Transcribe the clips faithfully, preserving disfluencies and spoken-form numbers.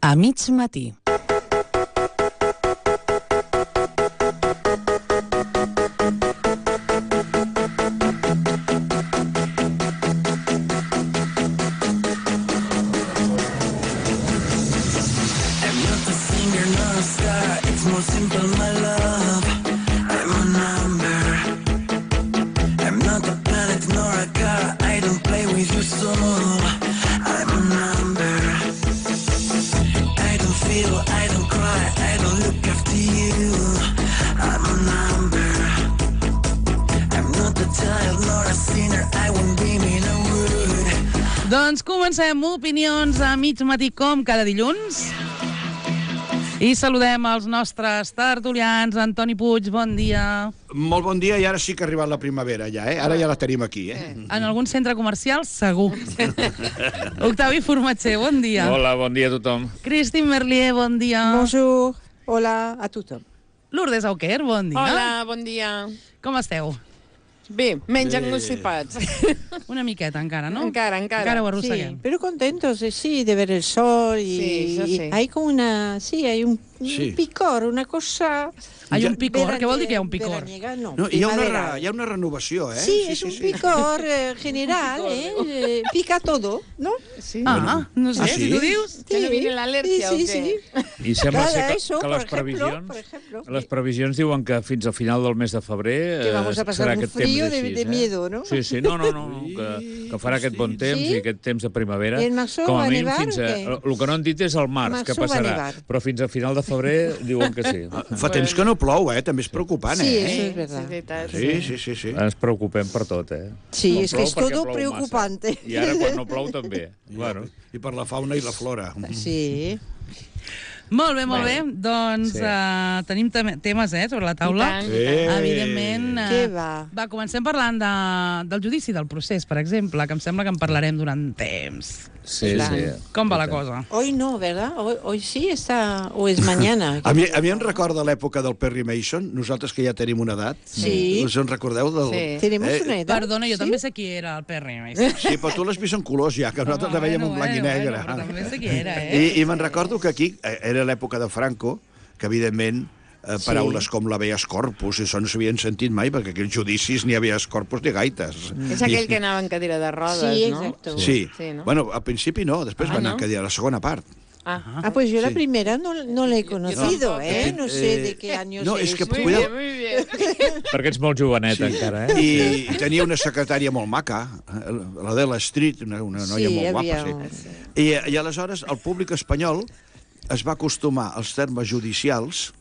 A mig matí. Doncs comencem Opinions a mig matí com cada dilluns. I saludem els nostres tertulians. Antoni Puig, bon dia. Molt bon dia, i ara sí que ha arribat la primavera, ja, eh? Ara ja la tenim aquí, eh? En algun centre comercial, segur. Octavi Formatger, bon dia. Hola, bon dia a tothom. Christine Merlier, bon dia. Bonjour, hola a tothom. Lourdes Auquer, bon dia. Hola, bon dia. Com esteu? Bé, menys engrosipats. Una miqueta encara, ¿no? Encara, encara. Encara ho arrosseguem. Sí, pero contentos, eh, sí, de ver el sol y, Sí, eso sí. y hay como una, sí, hay un, un Sí. picor, una cosa... Hay un Ja- picor, què vol dir que hi ha un picor? veraniega, no, No, hi ha, una, primavera. re- hi ha una renovació, eh? Sí, es un picor eh, general, eh, eh, pica todo, ¿no? Sí. Ah, no sé, Ah, sí? si tu dius. Que no viene l'al·lèrgia, sí, o sí, què? sí. I sembla Cada ser que, eso, que por les ejemplo, previsions, por ejemplo. les previsions diuen que fins al final del mes de febrer Que eh, vamos a pasar serà un aquest frío temps de- així, de eh? miedo, ¿no? Sí, sí, no, no, no, no que, que farà aquest bon temps Sí? i aquest temps de primavera. I el Maxó Com va a mínim nevar fins o a... què? El que no han dit és el març, Maxó que va passarà. nevar. Però fins a final de febrer diuen que sí. Fa temps que no plou, eh? També és preocupant, Sí, eh? eso es Sí, és verdad. veritat. Sí, sí, sí, sí. Ens preocupem per tot, eh? Sí, No es que plou es perquè todo plou preocupante. massa. I ara quan no plou també. Bueno, I per la fauna i la flora. Sí. Molt bé, molt bé. Bé. Doncs Sí. uh, tenim tem temes eh, sobre la taula. I tant, Sí. i tant. Evidentment. Uh, Què va? Va, comencem parlant de, del judici del procés, per exemple, que em sembla que en parlarem durant temps. sí, Clar. sí. Com va I la tant. cosa? Hoy no, ¿verdad? Hoy, hoy sí está, o es mañana. A mi, a mi em recorda l'època del Perry Mason, nosaltres que ja tenim una edat. Sí. Us en recordeu? Del... Sí. Tenemos Eh, una edad. Perdona, jo ¿sí? també sé qui era el Perry Mason. Sí, però tu l'has vist en colors ja, que nosaltres la veiem en blanc i negre. Bueno, però també sé qui era, eh? I, I me'n recordo que aquí eh, era l'època de Franco, que evidentment eh, paraules Sí. com l'habeas corpus, això no s'havien sentit mai, perquè aquells judicis ni habeas corpus ni gaites. És aquell que anava en cadira de rodes, Sí, no? exacto. Sí. Sí, no? Bueno, al principi no, després Ah, van no? anar a dir a la segona part. Ah, Ah, pues yo la Sí. primera no, no la he conocido, tampoco. ¿eh? No sé Eh, de qué años no, és que eres. muy cuida- bien, muy bien. Perquè ets molt jovenet, encara, eh? I, I tenia una secretària molt maca, eh, la de la Street, una, una noia Sí, molt havia guapa. un- Sí. I, I aleshores el públic espanyol es va acostumar als termes judicials,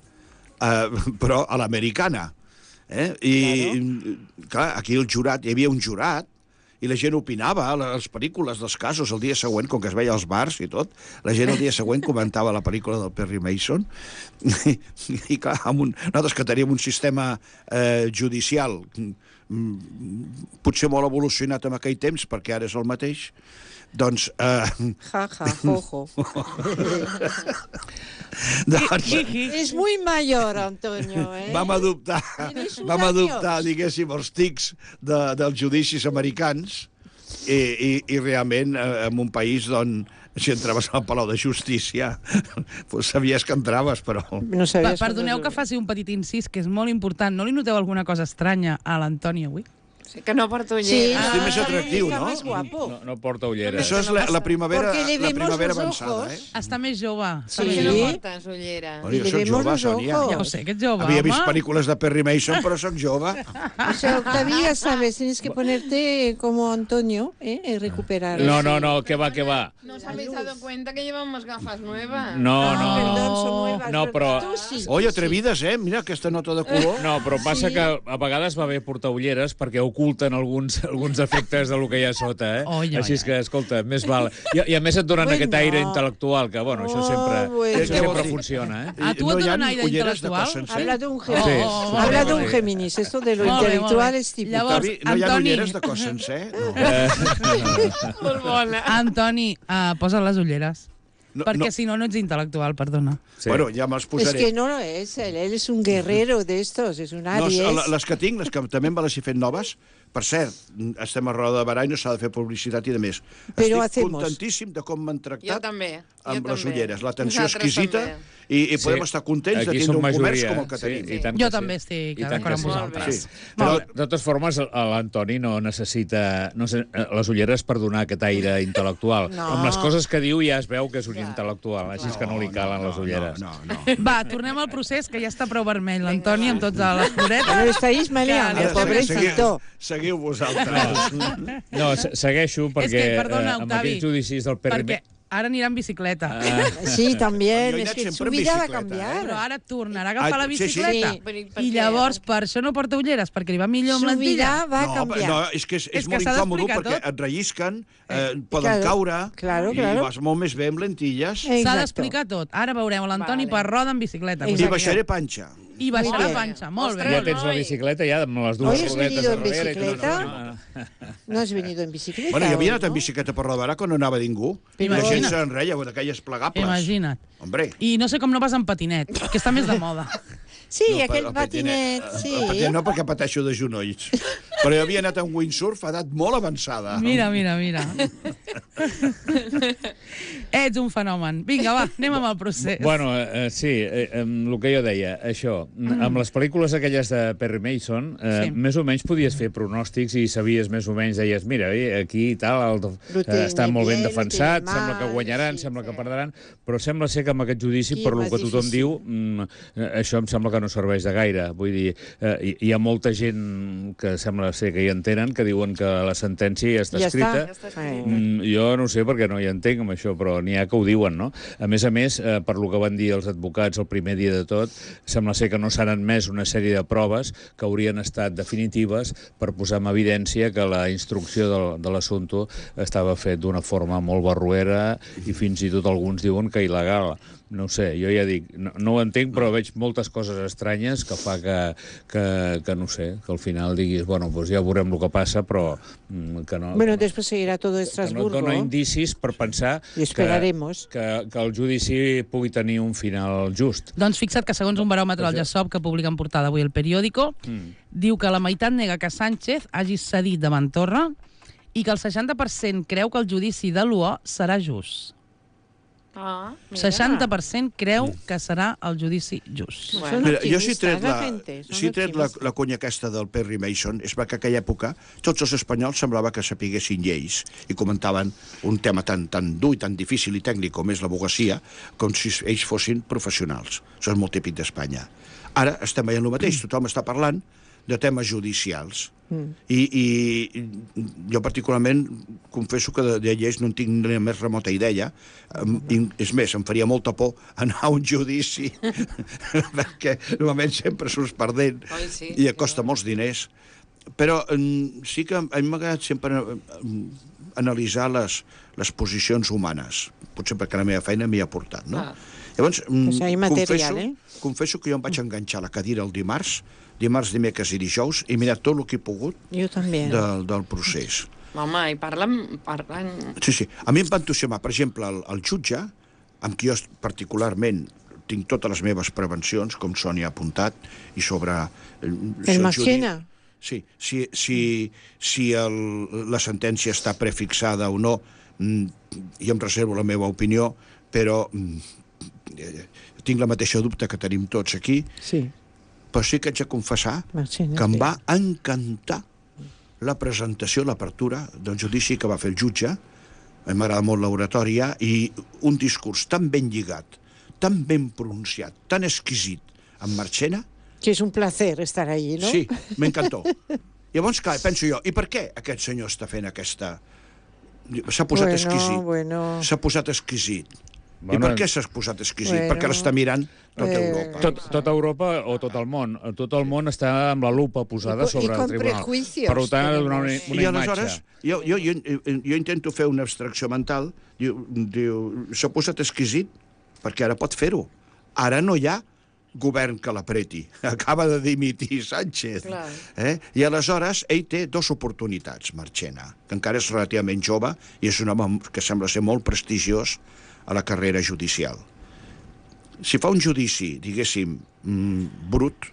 eh, però a l'americana. Eh? I, clar, aquí el jurat, hi havia un jurat, i la gent opinava a les pel·lícules dels casos el dia següent, com que es veia als bars i tot, la gent el dia següent comentava la pel·lícula del Perry Mason, i, i clar, amb un, nosaltres que teníem un sistema eh, judicial mm, potser molt evolucionat en aquell temps, perquè ara és el mateix, doncs... Eh, Ja, ja, ojo. doncs Es muy mayor, Antonio, ¿eh? vam adoptar, Tienes uns vam adoptar, anys. diguéssim, els tics de, dels judicis americans i, i, i realment eh, en un país on si entraves al Palau de Justícia pues sabies que entraves, però... No Pa sabías Perdoneu que faci un petit incís, que és molt important. No li noteu alguna cosa estranya a l'Antoni avui? Sí, que no porta ulleres. Sí, Estic més atractiu, está no? más guapo. No, no porta ulleres. Això és la, la primavera, Porque le la vemos primavera los avançada, ojos. eh? Està més jove. Està Sí. més Que no jove. portes ulleres. Bueno, Y jo le soc vemos jove, los Sònia. ojos. Ja ho sé, que ets jove, Havia vist home. pel·lícules de Perry Mason, però sóc jove. O sea, Octavia, sabes, tienes que ponerte como Antonio, ¿eh? Y recuperar. No, no, no, que va, que va. ¿No os habéis dado cuenta que llevamos gafas nuevas? No, Ah, no, perdón, no. son nuevas. No, ¿verdad? però- Tú sí, tú Oi, sí. atrevides, eh? Mira aquesta nota de color. No, però passa Sí. que a vegades va bé portar ulleres perquè oculten alguns, alguns efectes de lo que hi ha sota, eh? Oi, oi, Així és oi. que, escolta, més val. I, i a més et donen Bueno. aquest aire intel·lectual, que, bueno, això Oh, sempre, bueno. això Què sempre vols dir? funciona, eh? A tu no et hi ha donen aire ulleres de intel·lectual? cos sencer? Habla de un Oh, Géminis. oh, oh, Habla oh, de oh, un oh. Géminis. Esto de lo Molt bé, molt intelectual bé. es típico. Llavors, Octavi, no hi ha Antoni. ulleres de cos sencer? No. Eh, Molt bona. Antoni, uh, posa les ulleres. No, Perquè no. si no, no ets intel·lectual, perdona. sí. Bueno, ja me'ls Es posaré. que no lo es. Él, él es un guerrero de estos. Es un No, Aries. les que tinc, les que també me les he fet noves, per cert, estem a roda de barà i no s'ha de fer publicitat i de més. Però Estic hacemos. contentíssim de com m'han Jo tractat també. amb jo les també. ulleres. L'atenció Nosaltres exquisita també. i, i podem Sí. estar contents de Aquí tindre som un comerç majoria, com el que sí, tenim. i tant Jo que sí. també estic I tant d'acord que amb sí. vosaltres. Sí. Però, Molt bé. de totes formes, l'Antoni no necessita no sé, les ulleres per donar aquest aire intel·lectual. No. Amb les coses que diu ja es veu que és un Clar. intel·lectual, així és que no li calen les ulleres. No, no, no. Va, tornem al procés, que ja està prou vermell l'Antoni amb tots les floretes. Lo estáis maleando, Ara, pobrecito. Seguiu vosaltres. No, se- segueixo perquè És que, perdona, eh, amb Octavi, aquests judicis del Perri... perquè ara anirà en bicicleta. Ah, Sí, también. Jo he Es anat que sempre su en vida va a bicicleta, eh? cambiar. Però ara tornarà a agafar Ah, la sí, sí. bicicleta. Sí, per- per I què? llavors, per això no porta ulleres, perquè li va millor amb Su lentilla. vida va a No, cambiar. no, és que és, és, És que molt s'ha incòmode d'explicar perquè tot. et rellisquen, eh, poden Claro, caure claro, i claro. vas molt més bé amb lentilles. Eh, S'ha Exacto. d'explicar tot. Ara veurem l'Antoni Vale. per roda en bicicleta. I Exacte. baixaré panxa. I baixar Muy la bien. panxa. Molt bé. ja Ostres, tens la noi. bicicleta ja amb les dues Hoy has rodetes venido en darrere. que no- bicicleta? no, no, no. No has venido en bicicleta. Bueno, jo havia hoy, anat en ¿no? bicicleta per Rodarà quan no anava ningú. I la gent Imagina't. se'n reia, d'aquelles plegables. Imagina't. Hombre. I no sé com no vas en patinet, que està més de moda. Sí, No, aquell el patinet, sí. El patinet no, perquè pateixo de genolls. Però jo havia anat en windsurf a edat molt avançada. Mira, mira, mira. Ets un fenomen. Vinga, va, anem amb el procés. Bueno, eh, sí, eh, amb el que jo deia, això, mm. amb les pel·lícules aquelles de Perry Mason, eh, Sí. més o menys podies fer pronòstics i sabies més o menys, deies, mira, eh, aquí i tal, el, Lo eh, tiene està molt ben bien, lo defensat, tiene sembla que mal, guanyaran, sí, sembla sí. que perdran, però sembla ser que amb aquest judici, Aquí per és lo més que tothom difícil. diu, mm, eh, això em sembla que no serveix de gaire. Vull dir, eh, hi, hi ha molta gent que sembla ser que hi entenen, que diuen que la sentència ja està Ja escrita. està. Ja està escrit. Eh, Mm, jo no sé perquè no hi entenc amb això, però n'hi ha que ho diuen, no? A més a més, eh, per lo que van dir els advocats el primer dia de tot, sembla ser que no s'han admès una sèrie de proves que haurien estat definitives per posar en evidència que la instrucció del, de l'assumpte estava fet d'una forma molt barruera i fins i tot alguns diuen que il·legal. No ho sé, jo ja dic, no, no ho entenc, però veig moltes coses estranyes que fa que, que, que no sé, que al final diguis, bueno, doncs ja veurem el que passa, però mm, que no... Bueno, que no, después seguirá todo que no Estrasburgo. et dona indicis per pensar I esperaremos. que, que, que el judici pugui tenir un final just. Doncs fixa't que segons un baròmetre del Gesop que publica en portada avui el periòdico, Mm. diu que la meitat nega que Sánchez hagi cedit davant Torra i que el seixanta per cent creu que el judici de l'U O serà just. Ah, mira. seixanta per cent creu que serà el judici just. Bueno. Mira, jo si he optimistes, tret, la la, gente, són si he tret la, optimistes. la conya aquesta del Perry Mason, és perquè en aquella època tots els espanyols semblava que sapiguessin lleis i comentaven un tema tan, tan dur i tan difícil i tècnic com és l'advocacia, com si ells fossin professionals. Això és molt típic d'Espanya. Ara estem veient el mateix, tothom està parlant de temes judicials. Mm. I, I jo particularment confesso que de, de lleis no en tinc ni la més remota idea. Um, i, és més, em faria molta por anar a un judici perquè normalment sempre surts perdent Oi, sí, i sí, et costa no. molts diners. Però um, sí que a mi m'ha agradat sempre um, analitzar les, les posicions humanes, potser perquè la meva feina m'hi ha portat, no? Ah. Llavors, um, Pues hay material, confesso, eh? confesso que jo em vaig enganxar a la cadira el dimarts, dimarts, dimecres i dijous, i he mirat tot el que he pogut Yo también. del, del procés. Home, i parlen... parlen... Sí, sí. A mi em va entusiasmar, per exemple, el, el jutge, amb qui jo particularment tinc totes les meves prevencions, com Sònia ha apuntat, i sobre... eh, si El judi- Marchena. Sí, si, si, si el, la sentència està prefixada o no, mm, jo em reservo la meva opinió, però mm, eh, tinc la mateixa dubte que tenim tots aquí, Sí. però sí que haig de confessar Marchena, que em sí. va encantar la presentació, l'apertura del judici que va fer el jutge. A mi m'agrada molt l'oratòria i un discurs tan ben lligat, tan ben pronunciat, tan exquisit amb Marchena. Que es un placer estar allí, ¿no? Sí, m'encantó. Llavors, clar, penso jo, i per què aquest senyor està fent aquesta... S'ha posat Bueno, exquisit. bueno. S'ha posat exquisit. I Bueno, per què s'ha posat exquisit? bueno, Perquè l'està mirant tota eh, Europa. Tot, tota Europa o tot el món. Tot el món està amb la lupa posada I co- i sobre el con tribunal. prejuicios Per tant, ha de donar una, tenemos. una I aleshores, imatge. jo, jo, jo, jo intento fer una abstracció mental, diu, diu s'ha posat exquisit perquè ara pot fer-ho. Ara no hi ha govern que l'apreti. Acaba de dimitir Sánchez. Clar. Eh? I aleshores ell té dues oportunitats, Marchena, que encara és relativament jove i és un home que sembla ser molt prestigiós a la carrera judicial. Si fa un judici, diguéssim, mm, brut,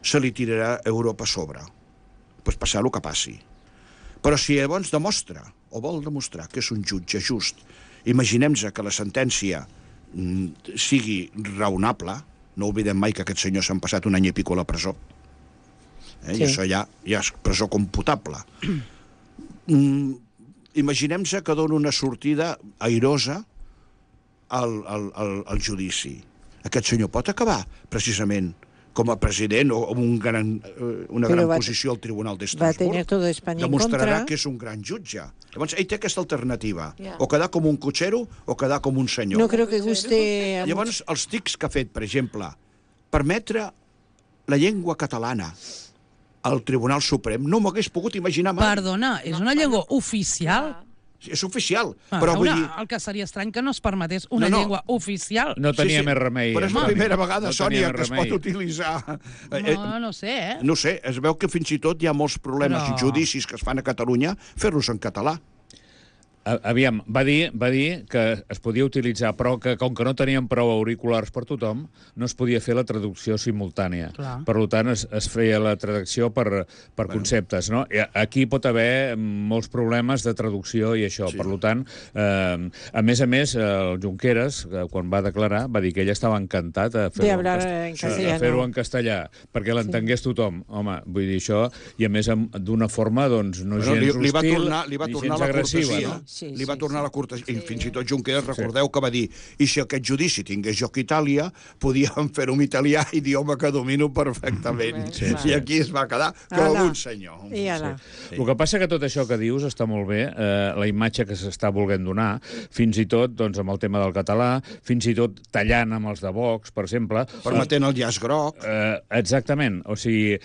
se li tirarà Europa a sobre. doncs passar el que passi. Però si llavors demostra, o vol demostrar, que és un jutge just, imaginem-nos que la sentència mm, sigui raonable, no oblidem mai que aquests senyors s'han passat un any i pico a la presó, eh? Sí. I això ja, ja és presó computable. Mm, imaginem-nos que dona una sortida airosa al, al, al, al judici. Aquest senyor pot acabar, precisament, com a president o amb un gran, una Però gran va, posició al Tribunal va d'Estrasburg. tenir todo España en contra. Demostrarà que és un gran jutge. Llavors, ell té aquesta alternativa. Yeah. O quedar com un cotxero o quedar com un senyor. No creo que guste... a Llavors, els tics que ha fet, per exemple, permetre la llengua catalana al Tribunal Suprem, no m'ho hagués pogut imaginar mai. Perdona, és una llengua oficial? És oficial, Ah, però vull una, dir... el que seria estrany que no es permetés una No, no. llengua oficial. No tenia Sí, sí, més remei. però és la Antoni. primera vegada, No Sònia, tenia que es remei. pot utilitzar... Eh, No, no sé, eh? No sé, es veu que fins i tot hi ha molts problemes Però- i judicis que es fan a Catalunya fer-los en català. A- Aviam, va dir, va dir que es podia utilitzar, però que com que no tenien prou auriculars per tothom, no es podia fer la traducció simultània. Clar. Per tant, es, es feia la traducció per, per bueno. conceptes. No? I aquí pot haver molts problemes de traducció i això. Sí. Per tant, eh, a més a més, el Junqueras, eh, quan va declarar, va dir que ell estava encantat a De fer-ho en, hablar cast- en sí, castellano. a fer-ho en castellà, perquè l'entengués tothom. Home, vull dir això, i a més amb- d'una forma doncs, no Bueno, gens li, li va hostil tornar, li va ni tornar gens la agressiva. cortesia. No? Sí, li va sí, tornar sí. la cortesia. I fins i tot Junqueras, recordeu que va dir i si aquest judici tingués lloc a Itàlia, podíem fer-ho en italià, idioma que domino perfectament. Sí, I aquí es va quedar com Ala. un senyor. I ara. Sí. El que passa que tot això que dius està molt bé, eh, la imatge que s'està volent donar, fins i tot doncs, amb el tema del català, fins i tot tallant amb els de Vox, per exemple. Permetent el llaç groc. Eh, exactament, o sigui,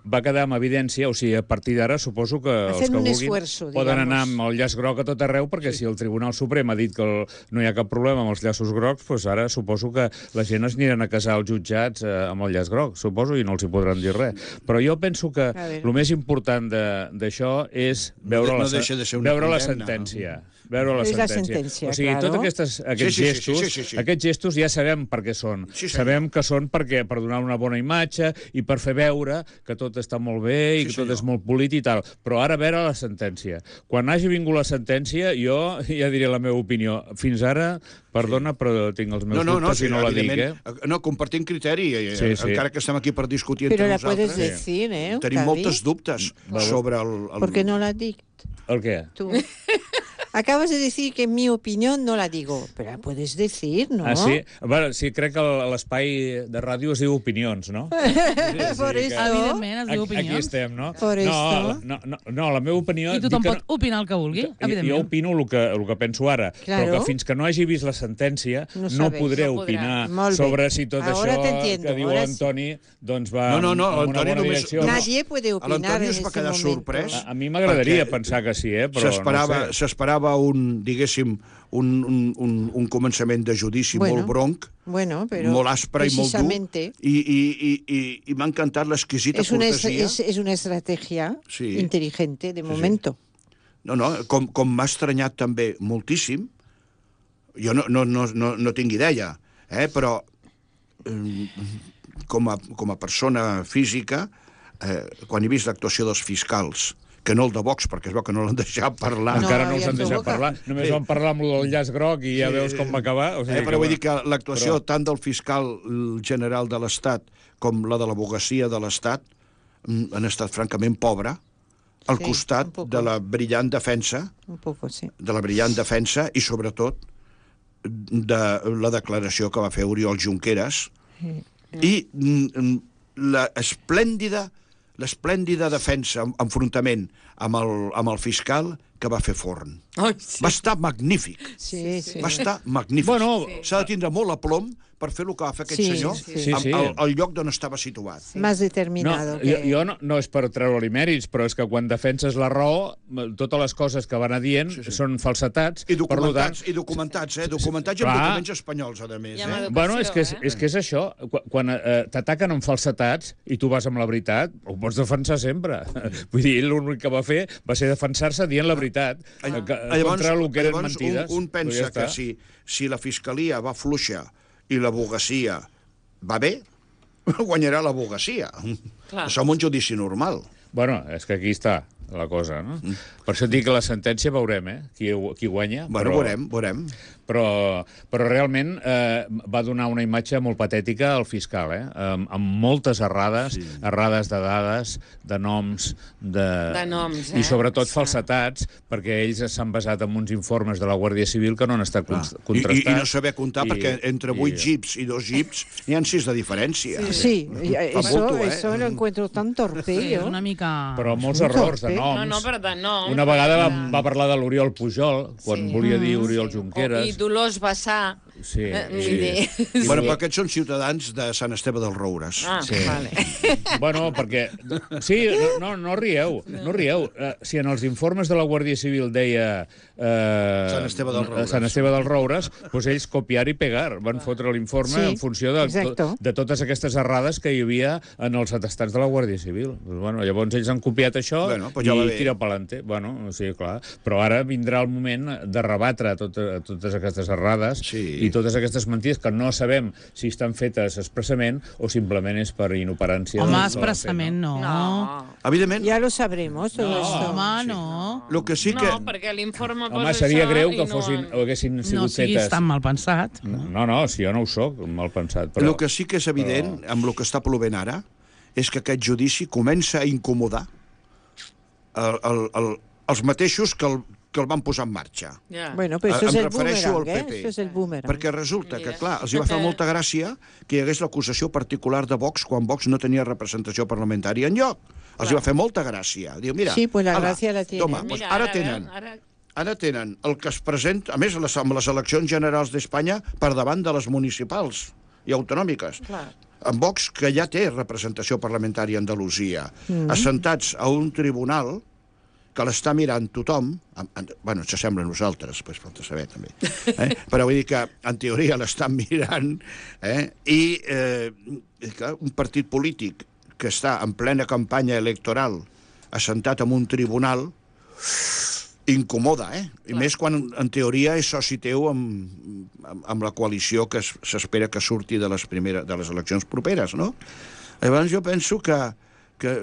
va quedar en evidència, o sigui, a partir d'ara suposo que els Hacen que un vulguin esfuerzo, poden digamos. anar amb el llaç groc a tot arreu, perquè sí. si el Tribunal Suprem ha dit que el, no hi ha cap problema amb els llaços grocs, doncs ara suposo que la gent es aniran a casar als jutjats eh, amb el llaç groc, suposo, i no els hi podran dir res. Però jo penso que el més important de- d'això és veure, No la, de- no sen- deixa de ser una veure la condemna. sentència. Veure la És la sentència. sentència, O sigui, claro. tots aquestes, aquests, Sí, sí, sí, gestos, sí, sí, sí. aquests gestos ja sabem per què són. Sí, senyor. Sabem que són perquè per donar una bona imatge i per fer veure que tot està molt bé i Sí, que tot senyor. és molt polit i tal. Però ara a veure la sentència. Quan hagi vingut la sentència, jo ja diré la meva opinió. Fins ara, perdona, però tinc els meus No, no, no, dubtes sí, i no la dic, eh? evidentment, no, compartim criteri, eh, Sí, sí. encara que estem aquí per discutir Pero entre la nosaltres. puedes decir, ¿eh? Tenim Javi? moltes dubtes sobre el... el... ¿Por qué no la dic El què? tú? Acabas de decir que en mi opinión no la digo, pero la puedes decir, ¿no? Ah, sí? Bueno, sí, crec que el- l'espai de ràdio es diu opinions, no? Por que- eso. Evidentment, es diu Aquí, aquí opinions. estem, no? Por no, esto. no, no, no, la meva opinió... I tothom dic que pot opinar el que vulgui, Jo evidentment. opino el que, el que penso ara, Claro. però que fins que no hagi vist la sentència No no, sabes. podré No podrà. opinar Molt bé. sobre si tot Ahora te això entiendo, que diu ahora sí. l'Antoni doncs va No, no, no, en una l'Antoni bona només- direcció. Nadie puede A opinar l'Antoni en es va este quedar momento. sorprès. A, a mi m'agradaria Perquè pensar que sí, eh? però S'esperava no ho sé. s'esperava un, diguéssim, un, un, un, un començament de judici Bueno, molt bronc, Bueno, pero molt aspre i molt dur, precisamente i, i, i, i, i m'ha encantat l'exquisita es una, es, cortesia. es, es una estrategia Sí. inteligente de sí. momento. No, no, com, com m'ha estranyat també moltíssim, jo no, no, no, no, no tinc idea, eh, però eh, com, a, com a persona física, eh, quan he vist l'actuació dels fiscals, que no el de Vox, perquè es veu que no l'han deixat parlar. No, Encara no els ja han es deixat provoca. parlar. Només Sí. van parlar amb el del llaç groc i ja Sí. veus com va acabar. O sigui Eh, però vull dir que va- l'actuació però- tant del fiscal general de l'Estat com la de l'abogacia de l'Estat mm, han estat francament pobra al Sí, costat un poco. de la brillant defensa Un poco, sí. de la brillant defensa i, sobretot, de la declaració que va fer Oriol Junqueras i mm, la esplèndida l'esplèndida defensa, enfrontament amb el, amb el fiscal que va fer Forn. Ai, sí. Va estar magnífic. Sí, sí. Va estar magnífic. Bueno, s'ha de tindre molt aplom per fer el que va fer aquest Sí, senyor sí. Sí, sí. Al, al lloc d'on estava situat. Más No, determinado. jo, que... jo no, no és per treure-li mèrits, però és que quan defenses la raó, totes les coses que van a dient Sí, sí. són falsetats. I per tant, documentats, i documentats, eh? Documentats i amb Clar. documents espanyols, a més. I amb Eh? educació, Bueno, és que és, eh? és que és això. Quan, quan eh, t'ataquen amb falsetats i tu vas amb la veritat, ho pots defensar sempre. Vull dir, ell l'únic que va fer va ser defensar-se dient la veritat, Ah. eh, que, Llavors, contra el que eren llavors mentides. un, un Però pensa ja que està. si, si la fiscalia va fluixa i l'abogacia va bé, guanyarà l'abogacia. Clar. Som un judici normal. Bueno, és que aquí està la cosa, no? Mm. Per això et dic que la sentència veurem, eh? Qui, qui guanya. Bueno, però... veurem, veurem. Però, però realment eh, va donar una imatge molt patètica al fiscal, eh? Amb, amb moltes errades, sí. errades de dades, de noms, de... De noms, eh? I sobretot Sí. falsetats, perquè ells s'han basat en uns informes de la Guàrdia Civil que no han estat Clar. contrastats. I, I, I no saber comptar, I, perquè entre vuit i... jeeps i dos jeeps n'hi ha sis de diferència. Sí, sí, Fa eso, bulto, eh? eso lo encuentro tan torpe, Sí, yo. una mica... Però molts Un errors de torpe. noms. No, no, però de noms. Una vegada va, va parlar de l'Oriol Pujol, quan Sí. volia dir Oriol Sí. Junqueras. I Dolors Bassà. Sí, Eh, vull sí. dir- Bueno, però aquests són ciutadans de Sant Esteve dels Roures. Ah, Sí. vale. Bueno, perquè... Sí, no, no, no rieu, no rieu. Uh, si en els informes de la Guàrdia Civil deia... Uh, Sant Esteve dels Roures. Sant Esteve dels Roures, doncs ells copiar i pegar. Van fotre l'informe Sí, en funció de, exacto. de totes aquestes errades que hi havia en els atestats de la Guàrdia Civil. Pues, bueno, llavors ells han copiat això Bueno, pues ja va i bé. tira pelante. Bueno, sí, clar. Però ara vindrà el moment de rebatre tot, totes aquestes errades Sí. i totes aquestes mentides que no sabem si estan fetes expressament o simplement és per inoperància. Home, del- expressament no. No. Evidentment, Ya lo sabremos todo No, esto. Home, no. el que sí que... No, perquè l'informe posa Home, seria això greu i que no fossin, han- o haguessin No sigut siguis fetes... tan mal pensat. No, no, si jo no ho soc, mal pensat. Però... El que sí que és evident, però... amb el que està plovent ara, és que aquest judici comença a incomodar el, el, el, els mateixos que el, que el van posar en marxa. Ja. Bueno, pero eso Em es el refereixo boomerang, al ¿eh? P P. Eso es el boomerang. Perquè resulta Mira. que, clar, els hi va fer molta gràcia que hi hagués l'acusació particular de Vox quan Vox no tenia representació parlamentària enlloc. Els hi va fer molta gràcia. Diu, mira, Sí, pues la ala, gràcia la tiene. Toma, doncs Mira, ara ara, tenen... Ara... Ara tenen el que es presenta, a més, les, amb les eleccions generals d'Espanya per davant de les municipals i autonòmiques. Clar. En Vox, que ja té representació parlamentària a Andalusia, mm. assentats a un tribunal que l'està mirant tothom, en, en, bueno, ens sembla a nosaltres, pues, falta saber també, eh? però vull dir que en teoria l'estan mirant, eh? i eh, clar, un partit polític que està en plena campanya electoral assentat en un tribunal incomoda, eh? I Clar. més quan, en teoria, és soci teu amb, amb, amb la coalició que es- s'espera que surti de les, primeres, de les eleccions properes, no? Llavors jo penso que, que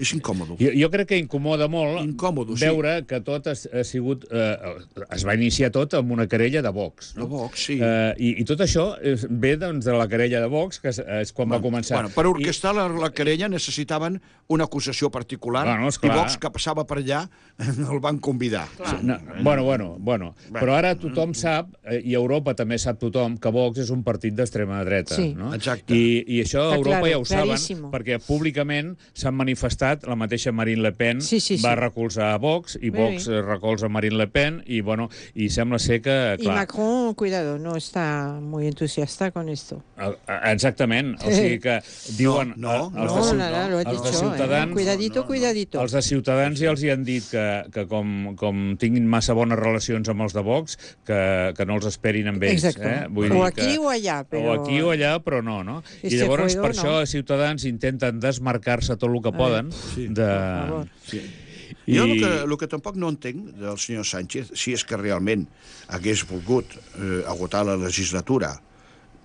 és incòmodo. Jo, jo crec que incomoda molt Incòmodo, sí. veure que tot ha, ha sigut... Eh, es va iniciar tot amb una querella de Vox. No? De Vox, sí. Eh, i, I tot això és, ve doncs, de la querella de Vox, que és, és quan va començar. Bueno, per orquestar la, la querella necessitaven una acusació particular, Bueno, i esclar. Vox, que passava per allà, el van convidar. Clar. No, bueno, bueno, bueno. Però ara tothom sap, eh, i a Europa també sap tothom, que Vox és un partit d'extrema dreta. Sí. No? Exacte. I, I això a Està Europa claro, ja ho saben, claríssimo. perquè públicament s'han manifestat, la mateixa Marine Le Pen Sí, sí, sí. va recolzar a Vox, i Muy Vox bien. eh, recolza Marine Le Pen, i, bueno, i sembla ser que, Y clar... Macron, cuidado, no está muy entusiasta con esto. el- Exactament, o sigui que diuen... No, eh, els no, de Ciut- nada, lo ha els de dicho, Ciutadans, ¿eh? Cuidadito, no, no. cuidadito. Els de Ciutadans ja els hi han dit que, que com, com tinguin massa bones relacions amb els de Vox, que, que no els esperin amb ells. Exacto. Eh? Vull O dir aquí que, o allá, però... O aquí o allà, però no, no? I Este llavors, juego, per això, no. Ciutadans intenten desmarcar-se tot el que A poden sí, de... per favor. Sí. I... Jo el que, el que tampoc no entenc del senyor Sánchez, si és que realment hagués volgut eh, agotar la legislatura,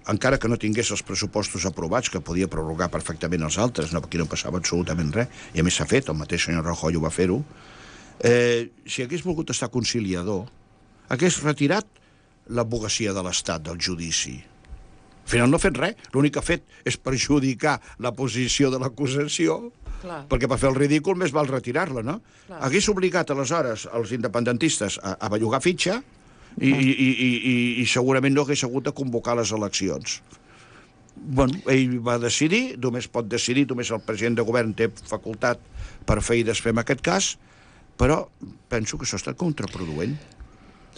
encara que no tingués els pressupostos aprovats, que podia prorrogar perfectament els altres, no, aquí no passava absolutament res, i a més s'ha fet, el mateix senyor Rajoy ho va fer-ho, eh, si hagués volgut estar conciliador, hagués retirat l'advocacia de l'Estat del judici. Al final no ha fet res, l'únic que ha fet és perjudicar la posició de l'acusació, Clar. perquè per fer el ridícul més val retirar-la, no? Clar. Hagués obligat aleshores els independentistes a, a bellugar fitxa i, i, i, i, i, i segurament no hagués hagut de convocar les eleccions. Bueno, ell va decidir, només pot decidir, només el president de govern té facultat per fer i desfer en aquest cas, però penso que això ha estat contraproduent.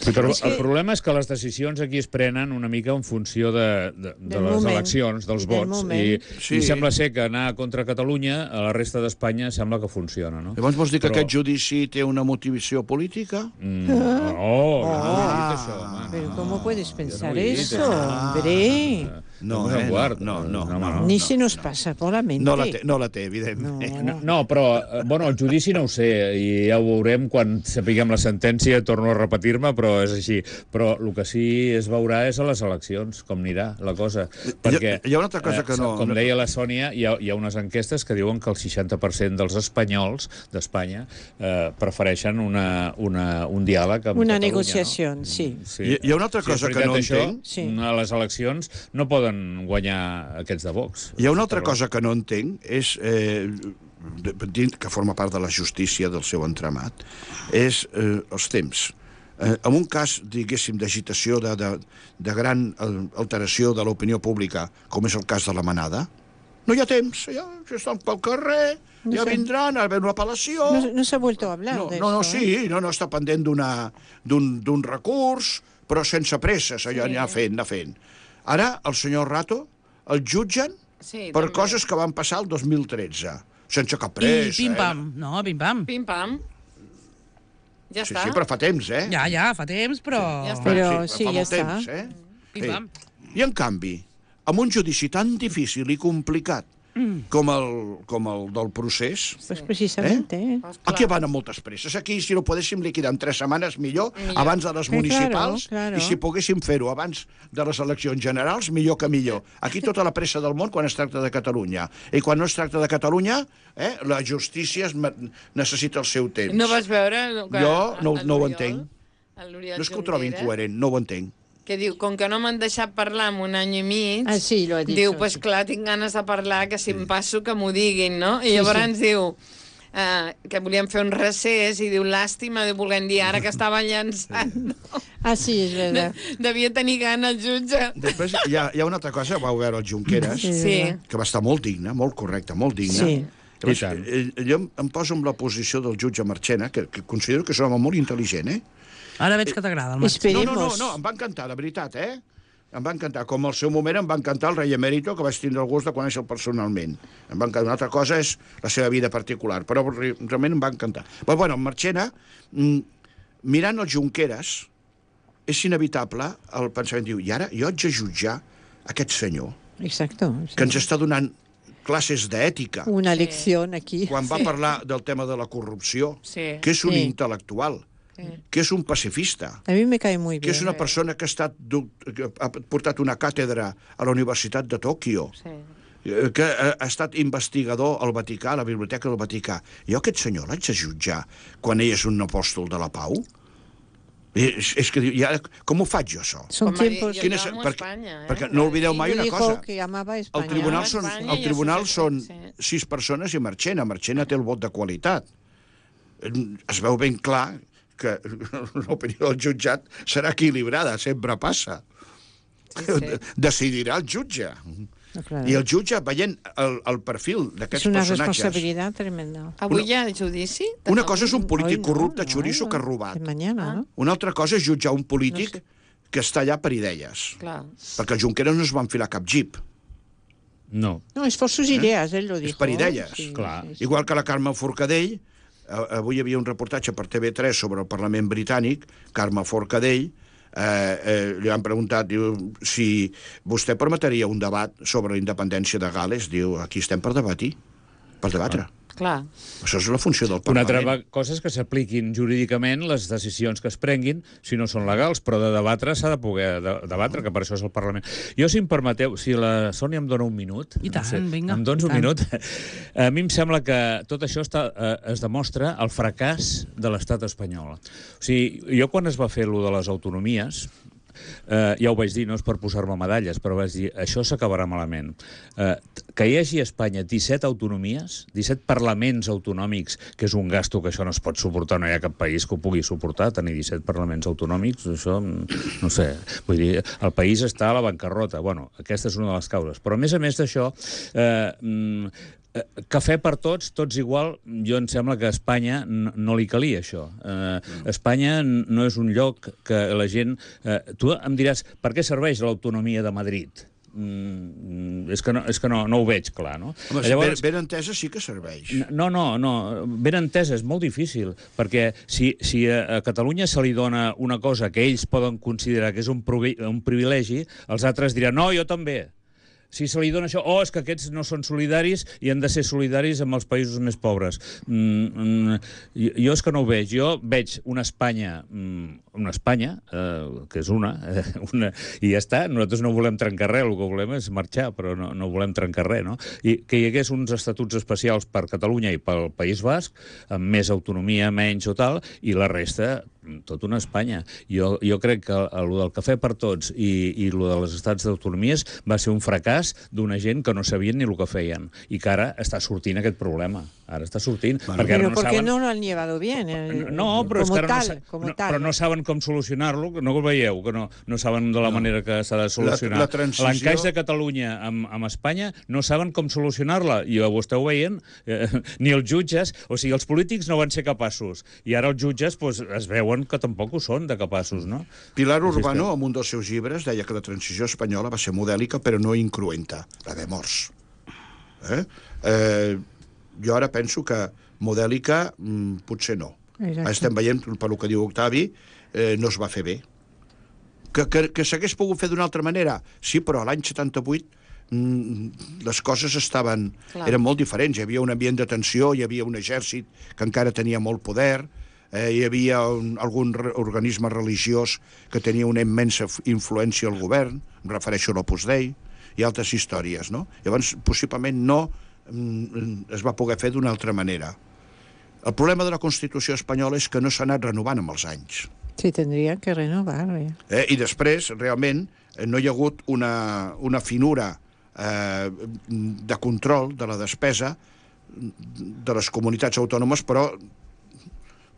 Sí, però És que- el problema és que les decisions aquí es prenen una mica en funció de, de, de Del les moment. eleccions, dels I del vots. moment. I, Sí. I sembla ser que anar contra Catalunya, a la resta d'Espanya, sembla que funciona, no? Llavors vols dir que Però- aquest judici té una motivació política? Mm, no, no, no he dit Ah, això, home. pero no, ¿cómo puedes jo pensar no he dit eso, això. hombre? No, un eh? quart. No, no, no, home, no. Ni se nos passa per la mente. No la té, no la té, evidentment. No, no, però, eh, bueno, el judici no ho sé, i ja ho veurem quan sapiguem la sentència, torno a repetir-me, però és així. Però el que sí es veurà és a les eleccions, com anirà la cosa. Perquè, hi ha una altra cosa que no... Com deia la Sònia, hi ha, hi ha unes enquestes que diuen que el seixanta per cent dels espanyols d'Espanya eh, prefereixen una, una, un diàleg amb Una Catalunya, negociació, no? sí. Sí. Hi, hi ha una altra cosa sí, que no això, entenc. Sí. A les eleccions no poden guanyar aquests de Vox. Hi ha una altra cosa que no entenc, és, eh, que forma part de la justícia del seu entramat, és eh, els temps. Eh, en un cas, diguéssim, d'agitació, de, de, de gran alteració de l'opinió pública, com és el cas de la Manada, no hi ha temps, ja, ja estan pel carrer, No ja sé. vindran a veure una apel·lació... No, no s'ha vuelto a hablar No, de no, no, eso, sí, no, no, està pendent d'una- d'un d'un recurs, però sense presses, allò Sí. anar fent, anar fent. Ara, el senyor Rato el jutgen Sí, per també. coses que van passar el dos mil tretze, sense cap I pressa. pim-pam. Eh? No, pim-pam. Pim-pam. Ja Sí, està. sí, però fa temps, eh? Ja, ja, fa temps, però... Ja està. Però fa sí, ja molt està. temps, eh? Pim-pam. Sí. I en canvi, amb un judici tan difícil i complicat mm. com, el, com el del procés, Pues precisamente, eh? Pues clar. aquí van amb moltes presses. Aquí, si ho podéssim liquidar en tres setmanes, millor, Millor. abans de les Eh, municipals, claro, claro. i si poguéssim fer-ho abans de les eleccions generals, millor que millor. Aquí tota la pressa del món quan es tracta de Catalunya. I quan no es tracta de Catalunya, eh, la justícia es me- necessita el seu temps. No vas veure... Que Jo no- el no ho Oriol- entenc. el Oriol No és que ho trobi Junqueras, incoherent, no ho entenc. que diu, com que no m'han deixat parlar en un any i mig, Ah, sí, lo ha dit. diu, pues clar, tinc ganes de parlar, que si em passo que m'ho diguin, no? I llavors diu eh, que volíem fer un recés i diu, làstima, diu, volent dir ara que estava llançant. No? Ah, sí, és verdad. Devia tenir gana el jutge. Després hi ha, hi ha una altra cosa, vau veure el Junqueras, Sí. Sí. que va estar molt digne, molt correcte, molt digne. Sí. Llavors, I tant. eh, jo em, em poso en la posició del jutge Marchena, que, que considero que és un home molt intel·ligent, eh? Ara veig que t'agrada el No, Marc. Esperemos. no, no, no, em va encantar, de veritat, eh? Em va encantar, com al seu moment em va encantar el rei emèrito, que vaig tindre el gust de conèixer personalment. Em va encantar. Una altra cosa és la seva vida particular, però re- realment em va encantar. Però, bueno, en Marchena, mm, mirant els Junqueras, és inevitable el pensament, diu, i ara jo haig de jutjar aquest senyor, Exacto. que ens està donant classes d'ètica, Una Sí. lección aquí. quan va parlar del tema de la corrupció, Sí. que és un Sí. intel·lectual, que és un pacifista, A mí me cae muy que bien. és una persona que ha, estat, du- que ha portat una càtedra a la Universitat de Tòquio, Sí. eh, que ha, ha estat investigador al Vaticà, a la Biblioteca del Vaticà. Jo aquest senyor l'haig de jutjar quan ell és un apòstol de la pau? És, és que diu, ja, com ho faig jo, això? Son Com va dir, tiempos... jo Quin és- amo perquè- Espanya, eh? perquè no oblideu mai Él una dijo cosa. que amaba a El España. tribunal, Ja, són, Espanya el i tribunal això, són sí. sis persones i Marchena. Marchena té el vot de qualitat. Es veu ben clar que l'opinió del jutjat serà equilibrada, sempre passa. Sí, sí. Decidirà el jutge. No, claro. I el jutge, veient el, el perfil Es d'aquests una personatges... responsabilidad tremenda. Avui hi ha judici? Una cosa és un polític Hoy no, corrupte, no, xoriço, no. que ha robat. De mañana, ¿no? Una altra cosa és jutjar un polític No sé. que està allà per idees. Clar. Perquè el Junqueras no es va enfilar cap jeep. No. No, es por sus ideas, él lo dijo. És per idees. Sí, Clar. sí, sí. Igual que la Carme Forcadell, eh, avui hi havia un reportatge per T V tres sobre el Parlament britànic, Carme Forcadell, eh, eh, li han preguntat, diu, si vostè permetria un debat sobre la independència de Gales, diu, aquí estem per debatir, per debatre. Clar. Això és la funció del Una Parlament. altra cosa és que s'apliquin jurídicament les decisions que es prenguin, si no són legals, però de debatre s'ha de poder de debatre, que per això és el Parlament. Jo, si em permeteu, si la Sònia em dona un minut... I tant, vinga, Em dones i un tant. minut? A mi em sembla que tot això està, eh, es demostra el fracàs de l'estat espanyol. O sigui, jo quan es va fer allò de les autonomies, Uh, ja ho vaig dir, no és per posar-me medalles, però vaig dir, això s'acabarà malament. Uh, que hi hagi a Espanya disset autonomies, disset parlaments autonòmics, que és un gasto que això no es pot suportar, no hi ha cap país que ho pugui suportar, tenir disset parlaments autonòmics, això, no sé, vull dir, el país està a la bancarrota. Bueno, aquesta és una de les causes. Però a més a més d'això, eh, Eh, cafè per tots, tots igual, jo em sembla que a Espanya no, no li calia això. Eh, Espanya no és un lloc que la gent... Eh, tu em diràs, per què serveix l'autonomia de Madrid? Mm, és que, no, és que no, no ho veig clar, no? Home, Llavors... ben, ben entesa sí que serveix. No, no, no, ben entesa, és molt difícil, perquè si, si a, a Catalunya se li dona una cosa que ells poden considerar que és un, un privilegi, els altres diran, no, jo també. si se li dona això, oh, és que aquests no són solidaris i han de ser solidaris amb els països més pobres. Mm, mm, jo, jo és que no ho veig. Jo veig una Espanya, mm, una Espanya, eh, que és una, eh, una, i ja està. Nosaltres no volem trencar res, el que volem és marxar, però no, no volem trencar res, no? I que hi hagués uns estatuts especials per Catalunya i pel País Basc, amb més autonomia, menys o tal, i la resta tot una Espanya. Jo, jo crec que el del cafè per tots i, i el de les estats d'autonomies va ser un fracàs d'una gent que no sabien ni el que feien i que ara està sortint aquest problema. Ara està sortint. Bueno, perquè però no ¿por qué saben... no lo han llevado bien? Eh, No, però como és que ara tal, no, como no, tal. però no saben com solucionar-lo, no ho veieu, que no, no saben de la No. manera que s'ha de solucionar. La- la transició- L'encaix de Catalunya amb, amb Espanya no saben com solucionar-la, i ho esteu veient, eh, ni els jutges, o sigui, els polítics no van ser capaços, i ara els jutges pues, es veuen que tampoc ho són de capaços, no? Pilar Així Urbano, estem. en un dels seus llibres, deia que la transició espanyola va ser modèlica, però no incruenta, va haver morts. Eh? Eh, jo ara penso que modèlica mm, potser no. Exacte. Estem veient, per el que diu Octavi, eh, no es va fer bé. Que, que, que s'hagués pogut fer d'una altra manera? Sí, però l'any setanta-vuit mm, les coses estaven, Clar. eren molt diferents. Hi havia un ambient de tensió, hi havia un exèrcit que encara tenia molt poder, eh, hi havia un, algun re, organisme religiós que tenia una immensa f- influència al govern, em refereixo a l'Opus Dei, i altres històries, no? Llavors, possiblement no mm, es va poder fer d'una altra manera. El problema de la Constitució espanyola és que no s'ha anat renovant amb els anys. Sí, tendrían que renovar. Eh. Eh? I després, realment, eh, no hi ha hagut una, una finura eh, de control de la despesa de les comunitats autònomes, però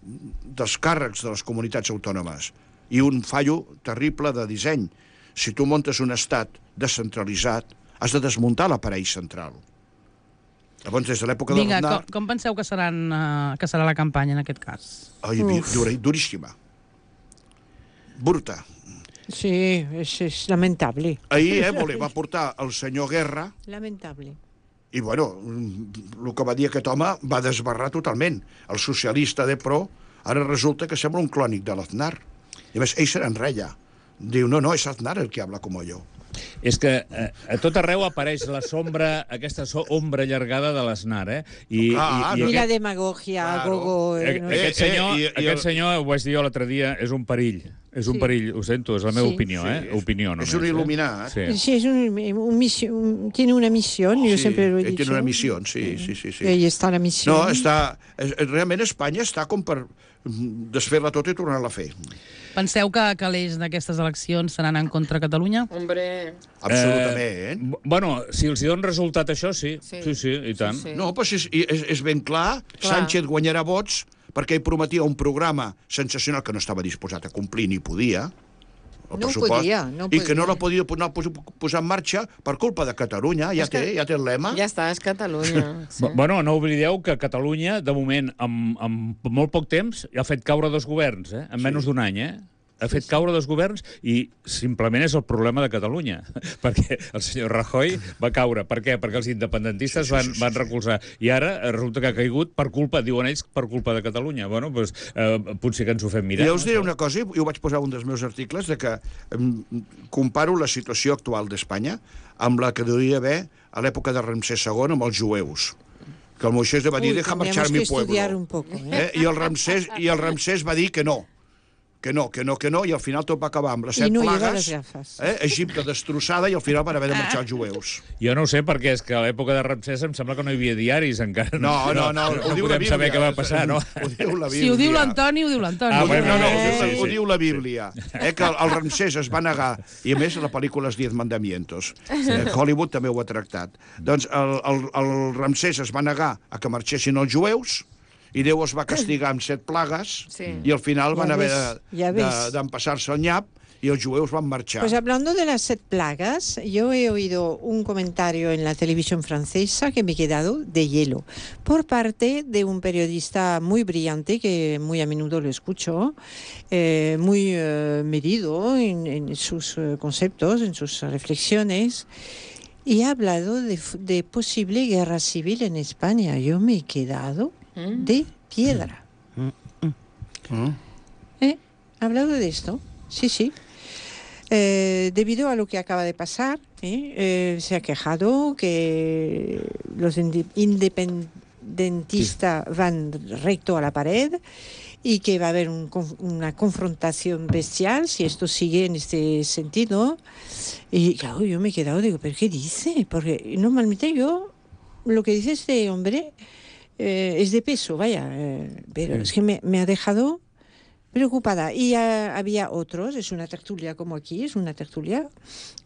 dels càrrecs de les comunitats autònomes. I un fallo terrible de disseny. Si tu montes un estat descentralitzat, has de desmuntar l'aparell central. Llavors, des de l'època de Vinga, l'Aznar... com, com penseu que, seran, uh, que serà la campanya en aquest cas? Ai, dur, duríssima. Bruta. Sí, es, es lamentable. Ahir eh, voler, va portar el senyor Guerra Lamentable. i, bueno, el que va dir aquest home va desbarrar totalment. El socialista de Pro ara resulta que sembla un clònic de l'Aznar. I a més, ell se n'enreia. Diu, no, no, és Aznar el que habla com jo. És que eh, a tot arreu apareix la sombra, aquesta so ombra allargada de l'Aznar, eh? I, Ah, i, Y i la aquest, demagogia, Claro. gogo... a- eh, no? aquest Eh, eh, senyor, i- i aquest el- senyor, ho vaig dir jo l'altre dia, és un perill. És un Sí. perill, ho sento, és la meva Sí. opinió, eh? Sí, és- Opinió, és només. un eh? il·luminat. Sí. Sí, es un, un misión, tiene una misión, yo Sí, siempre lo he ell dicho. tiene una misión, sí, sí, sí, sí. Y ahí está la misión. No, està... és- Realment Espanya està com per mm, desfer-la tota i tornar-la a fer. Penseu que, que l'eix d'aquestes eleccions seran en contra de Catalunya? Hombre, Absolutament. Eh, b- bueno, si els hi dona resultat això, sí. Sí. Sí, sí, i tant. Sí, sí. No, però és, és, és ben clar, Clar. Sánchez guanyarà vots perquè ell prometia un programa sensacional que no estava disposat a complir ni podia, el No pressupost, podia, no i que no podia. la podia no pos- posar en marxa per culpa de Catalunya. Ja És que- té, ja té el lema. ja està, és Catalunya. Sí. B- Bueno, no oblideu que Catalunya, de moment, amb, amb molt poc temps, ha fet caure dos governs, eh? En menys d'un any, eh? Ha fet caure dos governs i simplement és el problema de Catalunya, perquè el senyor Rajoy va caure. Per què? Perquè els independentistes Sí, sí, van, sí, sí, van sí. recolzar. I ara eh, resulta que ha caigut per culpa, diuen ells, per culpa de Catalunya. Bueno, doncs eh, potser que ens ho fem mirar. I jo us no? diré una cosa, i ho vaig posar en un dels meus articles, de que em, comparo la situació actual d'Espanya amb la que devia haver a l'època de Ramsès segon amb els jueus. Que el Moisés va dir, Uy, deja tendríamos marxar que mi pueblo. estudiar un poco. ¿eh? Eh? I, el Ramsès, I el Ramsès va dir que no, que no, que no, que no, i al final tot va acabar amb les set I no lleva plagues, les gafes. eh? Egipte destrossada, i al final van haver de marxar els jueus. Jo no ho sé, perquè és que a l'època de Ramsès em sembla que no hi havia diaris encara. No, no, no, ho diu la podem Bíblia. saber què va passar, no? Ho diu la Bíblia. Si ho diu l'Antoni, ho diu l'Antoni. Ah, Ho diu, bueno, no, no, sí, ho, sí, diu, ho sí. diu la Bíblia. Eh, que el, el Ramsès es va negar, i a més la pel·lícula Els Diez Mandamientos. Eh, Hollywood també ho ha tractat. Doncs el, el, el Ramsès es va negar a que marxessin els jueus, i Déu els va castigar amb set plagues, Sí. i al final van Ja haver ves, de- ja de- ves. d'empassar-se el nyap, y los jueus van a marchar. Pues hablando de las set plagas, yo he oído un comentario en la televisión francesa que me he quedado de hielo, por parte de un periodista muy brillante, que muy a menudo lo escucho, eh, muy eh, medido en, en sus eh, conceptos, en sus reflexiones, y ha hablado de, de posible guerra civil en España. Yo me he quedado Mm. de piedra. Mm. ¿Eh? ¿Ha hablado de esto? Sí, sí. Eh, debido a lo que acaba de pasar, ¿eh? Eh, se ha quejado que los inde- independentistas van recto a la pared y que va a haber un, una confrontación bestial si esto sigue en este sentido. Y claro, yo me he quedado, digo, ¿pero qué dice? Porque normalmente yo, lo que dice este hombre eh, es de peso, vaya, eh, pero sí. Es que me, me ha dejado preocupada. Y uh, había otros, es una tertulia como aquí, es una tertulia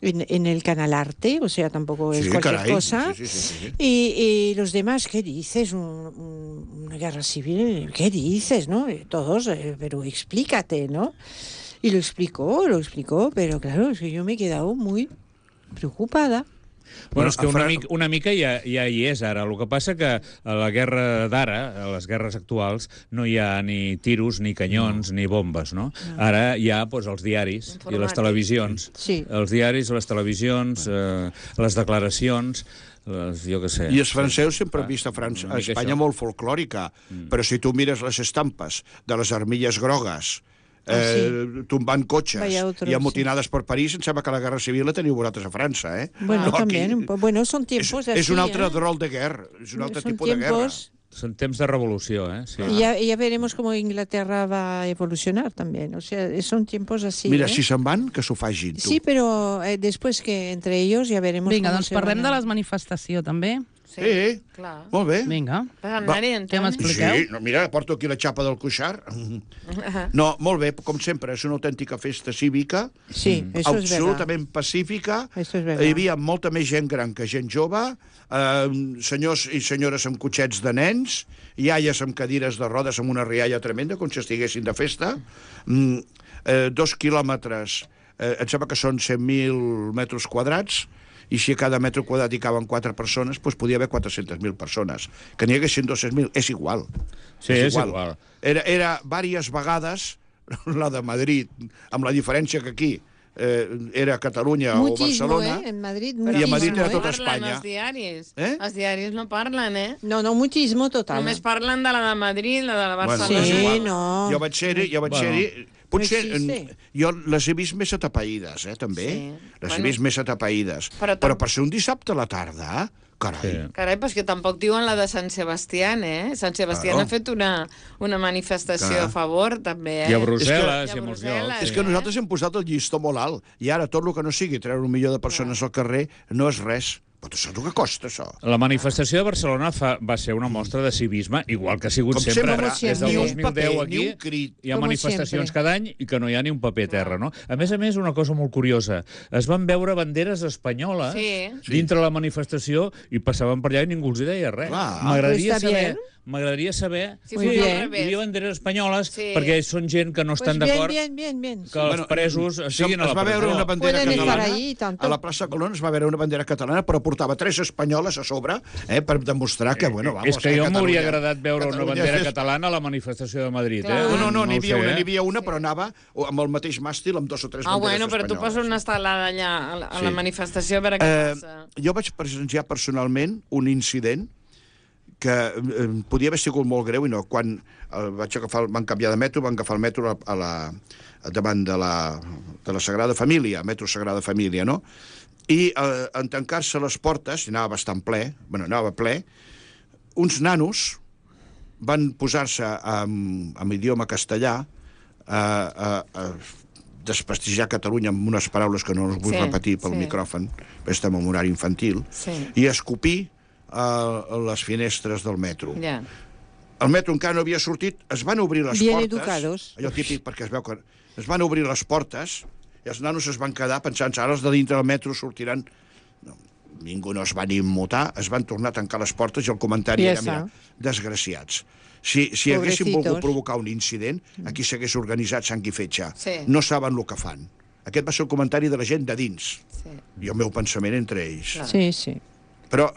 en, en el canal Arte, o sea, tampoco es sí, cualquier caray. cosa. Sí, sí, sí, sí. Y, y los demás, ¿qué dices? Un, un, una guerra civil, ¿qué dices? ¿No? Todos, eh, pero explícate, ¿no? Y lo explicó, lo explicó, pero claro, es que yo me he quedado muy preocupada. Bueno, és que una mica, una mica ja, ja hi és ara. El que passa que a la guerra d'ara, a les guerres actuals, no hi ha ni tiros, ni canyons, no. ni bombes, no? no. Ara hi ha doncs, els diaris i les televisions. Sí. Els diaris, les televisions, eh, les declaracions... Les, jo què sé. I els francesos sempre han vist a, França, a Espanya molt folclòrica, mm. però si tu mires les estampes de les armilles grogues, Eh, ah, sí. tombant cotxes otros, i amotinades sí. per París, em sembla que la Guerra Civil la teniu vosaltres a França, eh? Bueno, no, también. Aquí, bueno, son tiempos és, así, és un altre eh? rol de guerra, és un altre son tipus tiempos... de guerra. Son temps de revolució, eh? Sí. Y ya, ya veremos cómo Inglaterra va a evolucionar también. O sea, son tiempos así. Mira, ¿eh? si se'n van, que s'ho fagin, tu. Sí, però eh, després que entre ells ja veremos... Vinga, doncs parlem de les manifestacions, també. Sí, sí, clar. Molt bé. Vinga. Què m'expliqueu? Sí, no, mira, porto aquí la xapa del cuixar. No, molt bé, com sempre, és una autèntica festa cívica, sí, mm. eso es absolutament pacífica. Eso es Hi havia molta més gent gran que gent jove, eh, senyors i senyores amb cotxets de nens, iaies amb cadires de rodes amb una rialla tremenda, com si estiguessin de festa, mm, eh, dos quilòmetres, eh, em sembla que són cent mil metres quadrats, i si a cada metre quadrat hi caben quatre persones, doncs podia haver quatre-centes mil persones. Que n'hi haguessin dos-cents mil, és igual. Sí, és, és igual. igual. Era, era diverses vegades la de Madrid, amb la diferència que aquí eh, era Catalunya mutismo, o Barcelona, eh? En Madrid, i a Madrid era no tot Espanya. Espanya. Els diaris. Eh? Els diaris no parlen, eh? No, no, mutismo total. Només parlen de la de Madrid, la de la Barcelona. Bueno, sí, no. Jo vaig ser-hi, jo vaig bueno. ser-hi. Potser, no jo les he vist més atapeïdes, eh, també. Sí. Les bueno. he vist més atapeïdes. Però, tam... però per ser un dissabte a la tarda, carai. Sí. Carai, però és que tampoc diuen la de Sant Sebastià, eh? Sant Sebastià claro. ha fet una, una manifestació Clar. a favor, també, eh? I a Brussel·les, i a Brussel·les. És que nosaltres hem posat el llistó molt alt, i ara tot el que no sigui treure un milió de persones al carrer no és res. Però tu saps el que costa, això? La manifestació de Barcelona fa, va ser una mostra de civisme, igual que ha sigut Com sempre. sempre Des del dos mil deu paper, aquí crit, hi ha manifestacions cada any i que no hi ha ni un paper a terra, no? A més a més, una cosa molt curiosa. Es van veure banderes espanyoles sí. dintre la manifestació i passaven per allà i ningú els hi deia res. M'agradaria saber... M'agradaria saber si sí, hi havia banderes espanyoles sí. perquè són gent que no estan pues d'acord bien, bien, bien, bien. que els presos bueno, siguin a la presó. Es va veure una bandera Pueden catalana ahí, a la plaça Colón, es va veure una bandera catalana, però portava tres espanyoles a sobre eh, per demostrar que, bueno, vamos... És que jo m'hauria agradat veure Catalunya una bandera és... catalana a la manifestació de Madrid, Clar. eh? No, no, no, n'hi havia, no una, sé, n'hi havia una, però anava amb el mateix màstil amb dos o tres ah, banderes bueno, però espanyoles. tu poses una estelada allà a la, a la sí. manifestació per a què eh, passa. Jo vaig presenciar personalment un incident que eh, podia haver sigut molt greu i no. Quan eh, vaig agafar, van canviar de metro, van agafar el metro a, a la, davant de la, de la Sagrada Família, metro Sagrada Família, no? I eh, en tancar-se les portes, i anava bastant ple, bueno, anava ple, uns nanos van posar-se amb, amb idioma castellà a, a, a desprestigiar Catalunya amb unes paraules que no les vull sí, repetir pel sí. micròfon, perquè estem en horari infantil, sí. i escopir a les finestres del metro. Yeah. El metro encara no havia sortit, es van obrir les Bien portes... educados. Allò típic, perquè es veu que... Es van obrir les portes i els nanos es van quedar pensant ara els de dintre del metro sortiran... No, ningú no es van immutar, es van tornar a tancar les portes i el comentari era, mira, desgraciats. Si, si haguessin volgut provocar un incident, aquí s'hagués organitzat sang i fetge. Sí. No saben el que fan. Aquest va ser el comentari de la gent de dins. Sí. I el meu pensament entre ells. Clar. Sí, sí. Però...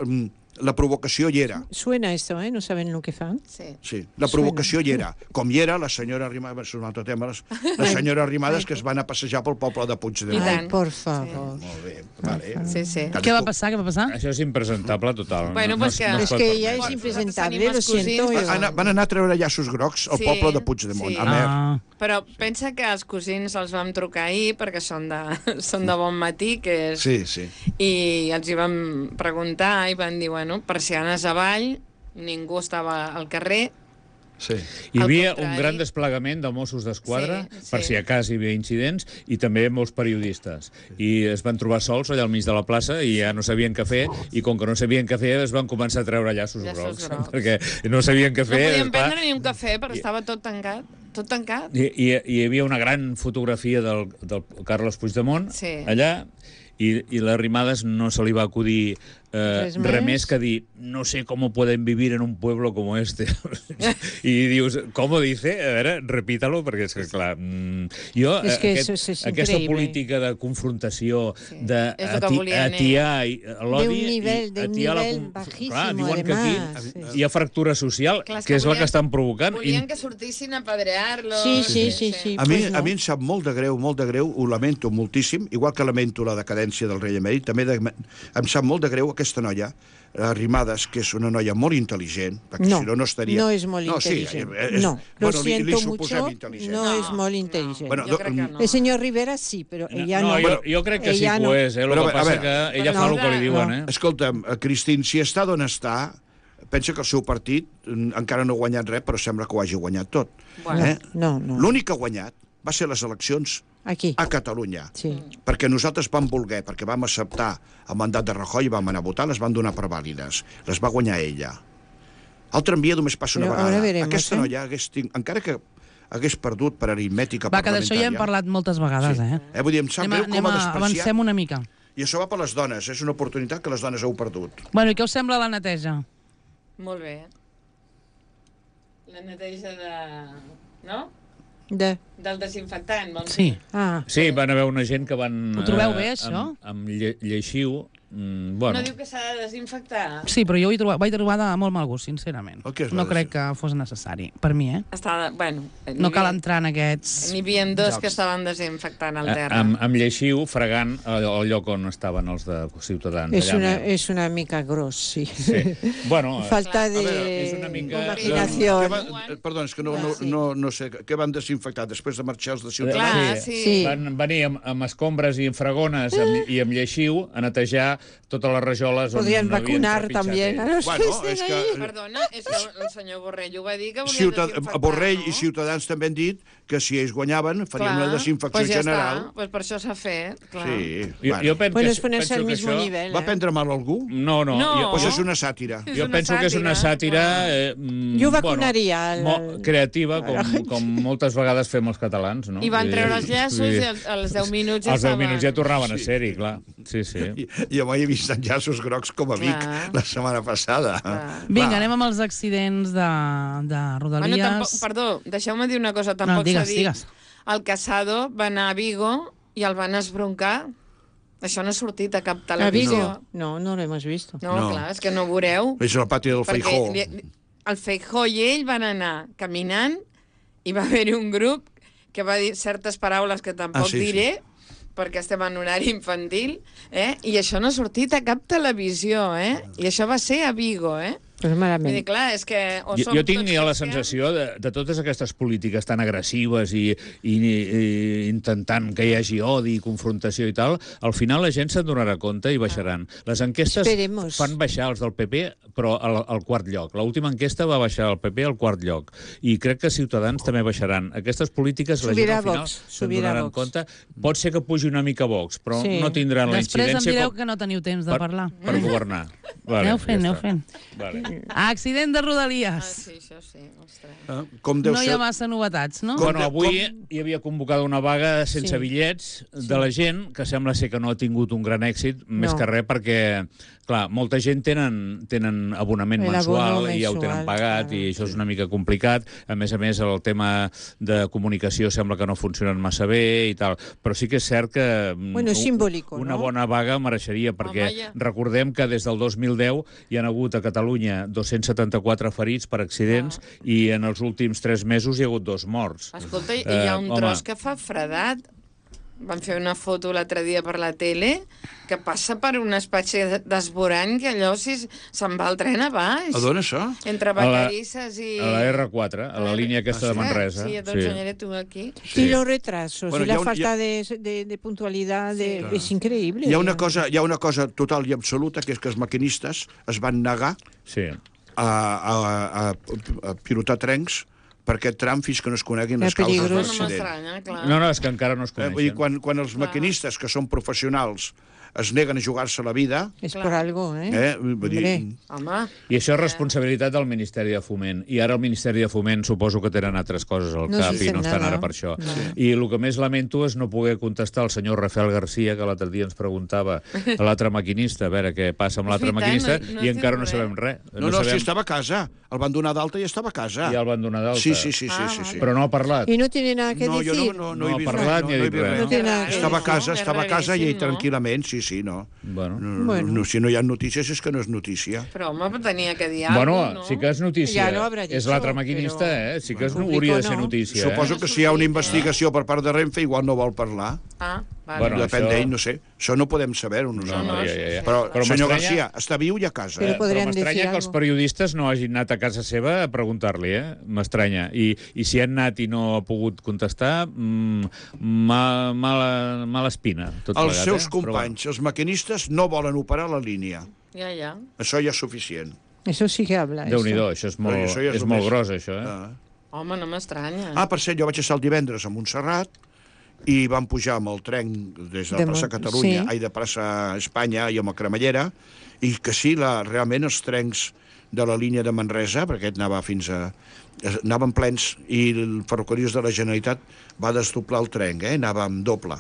la provocació hi era. Suena esto, ¿eh? No saben lo que fan. Sí. Sí, la provocació Suena. hi era. Com hi era la senyora Arrimadas, és un altre tema, la senyora Arrimadas que es van a passejar pel poble de Puigdemont. Ai, por favor. Sí. Molt bé, vale. Sí, sí. Què va passar, què va passar? Això és impresentable, total. Bueno, no, pues que... no, no es que ja és impresentable, lo siento. Van, van anar a treure llaços grocs al sí, poble de Puigdemont, sí. a Mer. Ah. Però pensa que els cosins els vam trucar ahir, perquè són de, són de bon matí, que és... Sí, sí. I els hi vam preguntar i van dir, bueno, persianes avall, ningú estava al carrer. Sí. Hi havia un gran desplegament de Mossos d'Esquadra, Sí, sí. per si a cas hi havia incidents, i també molts periodistes. I es van trobar sols allà al mig de la plaça i ja no sabien què fer, i com que no sabien què fer es van començar a treure llaços, Llaços grocs, grocs. perquè no sabien què No fer. podíem esclar. prendre ni un cafè, però estava tot tancat. Tot tancat. I, i, i hi havia una gran fotografia del, del Carles Puigdemont Sí. allà, i, i la Arrimadas no se li va acudir eh, Res res més? més que dir no sé com pueden vivir en un pueblo como este. I dius, com ho dice? A veure, repítalo, perquè és que, clar, mm, jo, És que aquest, eso es aquesta increïble. política de confrontació, Sí. de És el que ati, volien atiar i- l'odi... De un nivell- i de un atiar la nivell com- bajísimo, clar, diuen que además, aquí sí. hi ha fractura social, Clar, és que és la volien- que estan provocant. Volien I- que sortissin a pedrear-los. Sí, sí, sí, sí. A mi, Pues no. a mi em sap molt de greu, molt de greu, ho lamento moltíssim, igual que lamento la decadència del rei emèrit, també de, em sap molt de greu aquesta noia, Arrimadas, que és una noia molt intel·ligent, perquè No, si no, no estaria... no és molt intel·ligent. Sí, és, no, lo bueno, li, li siento suposem mucho, intel·ligent. no, No, es muy no. inteligente. Bueno, Jo crec que no. El señor Rivera sí, però ella no. no, jo, jo crec que sí Ella que no. ho és, eh? El Però, que a passa veure, que ella no, fa el que li diuen, no. eh? Escolta'm, eh, Cristín, si està d'on està, pensa que el seu partit mm, encara no ha guanyat res, però sembla que ho hagi guanyat tot. Bueno. Eh? No, no. L'únic que ha guanyat va ser les eleccions Aquí. a Catalunya. Sí. Perquè nosaltres vam voler, perquè vam acceptar el mandat de Rajoy i vam anar a votar, les van donar per vàlides. Les va guanyar ella. El tramvia només passa una Però vegada. ara veremos, Aquesta eh? noia, hagués tinc, encara que hagués perdut per aritmètica Va, que d'això parlamentària... ja hem parlat moltes vegades, Sí. eh? Eh, vull dir, em sap Anem, a, greu anem com ha a, despreciat. avancem una mica. I això va per les dones, és una oportunitat que les dones heu perdut. Bueno, i què us sembla la neteja? Molt bé. La neteja de... No? De... Del desinfectant, vols Sí. dir? Ah, Sí, van haver una gent que van... Ho trobeu eh, bé, això? Amb, amb lle lleixiu. Mm, bueno, No diu que s'ha de desinfectar? Sí, però jo ho he trobat, vaig trobar de molt mal gust, sincerament. El que és No la crec que fos necessari, per mi, eh? Està de... Bueno, No cal entrar en aquests... N'hi havia dos jocs. que estaven desinfectant el a- terra. amb, amb lleixiu, fregant el, el lloc on estaven els de Ciutadans. és allà una, més. és una mica gros, sí. Sí. Bueno, Falta de veure, és una mica- imaginació. Què va, perdó, és que no, no, no, no sé, què van desinfectar després de marxar els de Ciutadans? Clar, sí. sí. Sí. van venir amb, amb escombres i amb fregones amb, i amb lleixiu a netejar totes les rajoles on Podrían no havien vacunar trepitjat también a ells. los Bueno, que és estén que... ahí. Perdona, és que el senyor Borrell ho va dir que volia Ciutat... desinfectar, Borrell no? i Ciutadans també han dit que si ells guanyaven farien Clar, una desinfecció pues ja general. Està. Pues per això s'ha fet, clar. Sí, Jo, jo penso, Bueno, que, es ponerse penso al que mismo això... nivel. Va ¿eh? prendre mal a algú? No, no. No. Jo, Pues és una sàtira. És jo una penso que és una sàtira, sàtira eh, mm, Jo vacunaria bueno, el- mo- creativa, com, com moltes vegades fem els catalans. No? I van Vull treure dir, els llaços vull dir, i als- als deu minuts ja als deu estaven... minuts ja tornaven a ser-hi, clar. Sí, sí. I, I avui he vist enllaços grocs com a Vic Clar. la setmana passada. Clar. Vinga, anem amb els accidents de, de Bueno, Rodalies. tampoc, perdó, deixeu-me dir una cosa. Tampoc No, digues, s'ha dit. digues. El Casado va anar a Vigo i el van esbroncar. Això no ha sortit a cap ¿A televisió. Vigo? No, no lo hemos visto. No, No. clar, és que no ho veureu. És el pati del Perquè Feijó. li- el Feijó i ell van anar caminant i va haver-hi un grup que va dir certes paraules que tampoc Ah, sí, sí. diré, perquè estem en horari infantil, eh? I això no ha sortit a cap televisió, eh? I això va ser a Vigo, eh? Pues Vull dir, malament. clar, és que... O Jo, som jo tinc tots ja la cristians- sensació de, de totes aquestes polítiques tan agressives i, i, i intentant que hi hagi odi i confrontació i tal, al final la gent se'n donarà compte i baixaran. Les enquestes Esperemos. fan baixar els del P P, però al, al quart lloc. L'última enquesta va baixar el P P al quart lloc. I crec que Ciutadans també baixaran. Aquestes polítiques la gent Subirà al final Vox, se'n subirà donaran Vox. compte. Pot ser que pugi una mica Vox, però Sí. no tindran la Després em incidència direu com que no teniu temps de per, parlar. per governar. Vale, Aneu fent, ja aneu està. fent. Vale. Accident de Ah, Rodalies. sí, això sí, ostres. Eh? Com deu No hi ser... ha massa novetats, no? Com Bueno, de- avui hi havia convocada una vaga sense Sí. bitllets de la gent, que sembla ser que no ha tingut un gran èxit, més No. que res perquè, clar, molta gent tenen, tenen abonament El mensual abono i ja ho tenen mensual, pagat claro, i això és una mica complicat. A més a més, el tema de comunicació sembla que no funcionen massa bé i tal. Però sí que és cert que mm, Bueno, és u- simbòlico, una no? bona vaga mereixeria, perquè Home, ja. recordem que des del dos mil deu hi han hagut a Catalunya dos-cents setanta-quatre ferits per accidents i en els últims tres mesos hi ha hagut dos morts. Escolta, i hi ha Eh, un home. tros que fa fredat. van fer una foto l'altre dia per la tele, que passa per una espècie d'esborany que allò si se'n va el tren a baix. A d'on, això? Entre Vacarisses i... A la erre quatre, a la línia aquesta de Manresa. Sí, doncs sí. Tu aquí. Sí. Y los retrasos, Bueno, y la un, falta ha... de, de, de puntualidad, de, Sí. es increíble. Hi ha, una cosa, hi ha una cosa total i absoluta, que és que els maquinistes es van negar Sí. a, a, a, a pilotar trens per aquest tram fins que no es coneguin les És causes de peligrós. No l'accident. m'estranya, clar. No, no, és que encara no es Eh, vull dir, coneixen. quan, quan els maquinistes, que són professionals, es neguen a jugar-se la vida, Es Clar. por algo, ¿eh? eh, vull dir, Hombre. Home, I això és responsabilitat del Ministeri de Foment. I ara el Ministeri de Foment suposo que tenen altres coses al No cap se i no sent estan nada. ara per això. No. I el que més lamento és no poder contestar al senyor Rafael García, que l'altre dia ens preguntava a l'altre maquinista, a veure què passa amb És l'altre veritat, maquinista, no- no i es encara diu no res. sabem res. no, no, sabem... si estava a casa. El van donar d'alta i estava a casa. Ja el van donar d'alta. Sí, sí, sí, sí, Ah, sí, sí. Però no ha parlat. Y no tiene nada que No, jo decir. no, no, no, No he ha vist parlat res, ni ha no, no he dit vist res. res. No tiene nada que Estava a decir. casa, És estava a casa i ell raríssim, no? tranquil·lament, sí, sí, no. Bueno. No, Bueno. no, si no hi ha notícies és que no és notícia. però home, tenia que dir Bueno, alguna cosa, no? sí que és notícia. Ja lo habrà dit, és l'altre maquinista, però- eh? Sí que és, Bueno, hauria de público ser no. notícia. Suposo eh? que si hi ha una investigació per part de Renfe, igual no vol parlar. Ah, vale. Bueno, Depèn això- d'ell, no sé. Això no podem saber-ho No, nosaltres. no, ja, ja, ja. Però, Però senyor m'estranya- García, està viu i a casa. Però Eh? Però podríem m'estranya decir que els algo. periodistes no hagin anat a casa seva a preguntar-li, eh? M'estranya. I, I si han anat i no ha pogut contestar, mmm, ma, mala, mala espina, tot Els plegat, seus eh? companys, els maquinistes, no volen operar la línia. Ja, ja. Això ja és suficient. Eso sí que habla. Però, Déu-n'hi-do, eso. això és molt, Però això ja és és el molt més- gros, això, eh? Ah. Home, no m'estranya. ah, per cert, jo vaig estar el divendres a Montserrat i vam pujar amb el tren des de De la plaça Mont- Catalunya, sí. ai, de plaça Espanya i amb la Cremallera, i que sí, la, realment els trens de la línia de Manresa, perquè aquest anava fins a... anaven plens, i el Ferrocarrils de la Generalitat va desdoblar el tren, eh? Anava amb doble,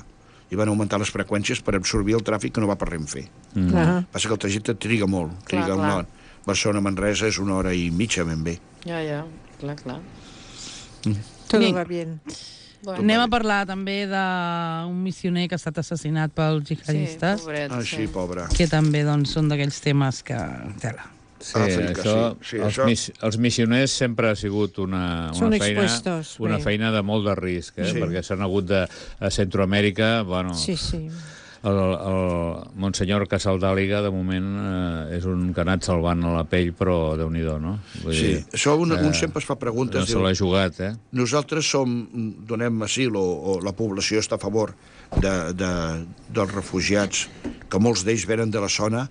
i van augmentar les freqüències per absorbir el tràfic que no va per Renfe. Mm. Ajá. Passa que el trajecte triga molt, Clar, triga clar. molt. Barcelona-Manresa és una hora i mitja, ben bé. Ja, ja, clar, clar. Todo Bien. va bien. Bueno, Anem a parlar també d'un missioner que ha estat assassinat pels sí, jihadistes, pobret, Ah, sí, pobre. que també doncs, són d'aquells temes que... Tela. Sí, Àfrica, això, sí, sí, els, això- mis, els missioners sempre ha sigut una, Són una, feina, expuestos, una bé. feina de molt de risc, eh? Sí. Perquè s'han hagut de... A Centroamèrica, bueno, Sí, sí. el, el Monsenyor Casaldàliga, de moment, eh, és un que ha anat salvant a la pell, però Déu-n'hi-do, no? Vull Sí, dir, això un, eh, un sempre es fa preguntes. no se diu, l'ha jugat, eh? nosaltres som, donem asil, o, o la població està a favor de, de, dels refugiats, que molts d'ells venen de la zona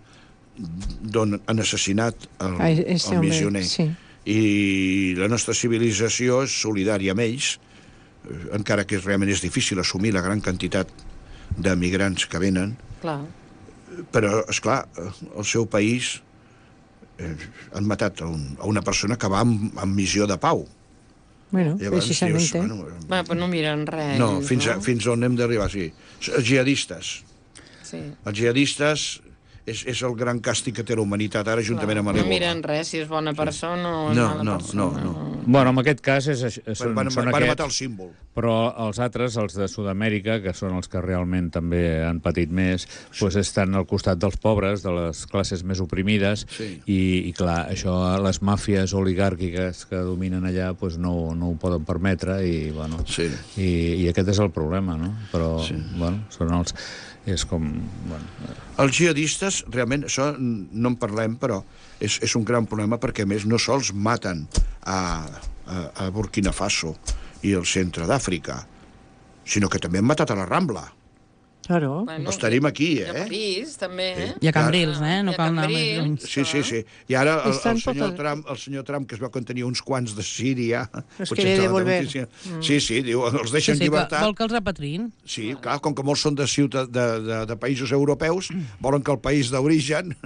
d'on han assassinat el, Ah, este el hombre, missioner. sí. I la nostra civilització és solidària amb ells, eh, encara que realment és difícil assumir la gran quantitat de migrants que venen, clar. però, és clar, el seu país eh, han matat a, un, a una persona que va amb, amb missió de pau. Bueno, Llavors, precisamente. dius, bueno, Va, però no miren res. no, fins, a, no? fins on hem d'arribar, sí. Els jihadistes. Sí. Els jihadistes és, és el gran càstig que té la humanitat ara, juntament amb No l'Ebola. miren res, si és bona persona o No, mala no, persona. no, Bueno, en aquest cas és, és, són, Van, van, són van aquests, matar el símbol. però els altres, els de Sud-amèrica, que són els que realment també han patit més, doncs estan al costat dels pobres, de les classes més oprimides, Sí. i, i clar, això les màfies oligàrquiques que dominen allà doncs no, no ho poden permetre, i, bueno, Sí. i, i aquest és el problema, no? Però, sí. bueno, són els... És com... Bueno, Els jihadistes, realment, això no en parlem, però és, és un gran problema perquè, a més, no sols maten a, a, a Burkina Faso i el centre d'Àfrica, sinó que també han matat a la Rambla. Claro. Bueno, Els tenim aquí, I a eh? París, també, eh? I a Cambrils, eh? No I a cal anar més Cambrils. lluny. Sí, sí, sí. I ara el, Estan el, senyor pot- Trump, el senyor Trump, que es veu que en tenia uns quants de Síria... Los potser quiere estava de devolver. notícia. Sí, sí, diu, els Sí, deixen sí, que llibertat. vol que els repatriïn. Sí, clar, com que molts són de, ciutat, de, de, de països europeus, volen que el país d'origen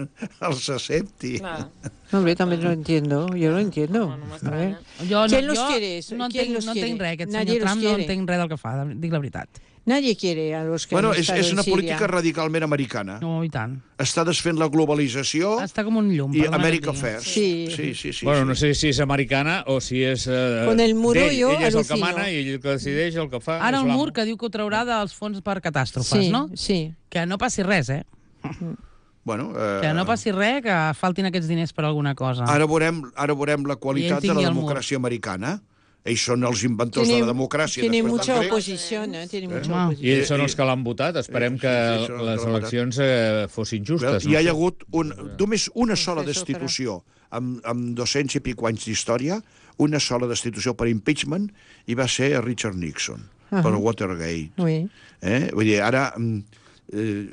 els accepti. Clar. No, hombre, también lo entiendo. Yo lo entiendo. No, no A m'estranya. ver. Jo, ¿Quién no, los jo quiere eso? no ¿Quién entenc, los no entenc quiere? res, aquest Nadie senyor los Trump no quiere. entenc res del que fa, dic la veritat. Nadie quiere a los que Bueno, han és, estado és en una Siria. política radicalment americana. No, i tant. Està desfent la globalització Està com un llum. i perdona que et America digui. First. Sí. sí, sí. sí, bueno, sí. no sé si és americana o si és... Eh, Con el muro d'ell. jo Ell és el que alucino. mana i ell el que decideix, el que fa... Ara és el l'amo. mur que diu que ho traurà dels fons per catàstrofes, Sí, no? sí. Que no passi res, eh? Bueno, eh, Que no passi res, que faltin aquests diners per alguna cosa. ara, veurem, ara veurem la I qualitat ell de la tingui el mur. democràcia americana. ells són els inventors Tiene, de la democràcia. tiene després mucha dels grecs. oposición, ¿eh? Tiene mucha Ah. oposición. I ells són els que l'han votat. Esperem que Sí, sí, són els les que l'han eleccions eh, fossin justes. I hi ha no? hagut un, només una sola Proceso destitució amb, amb dos-cents i pico anys d'història, una sola destitució per impeachment, i va ser a Richard Nixon, uh -huh. per Watergate. Oui. Eh? Vull dir, ara... Eh,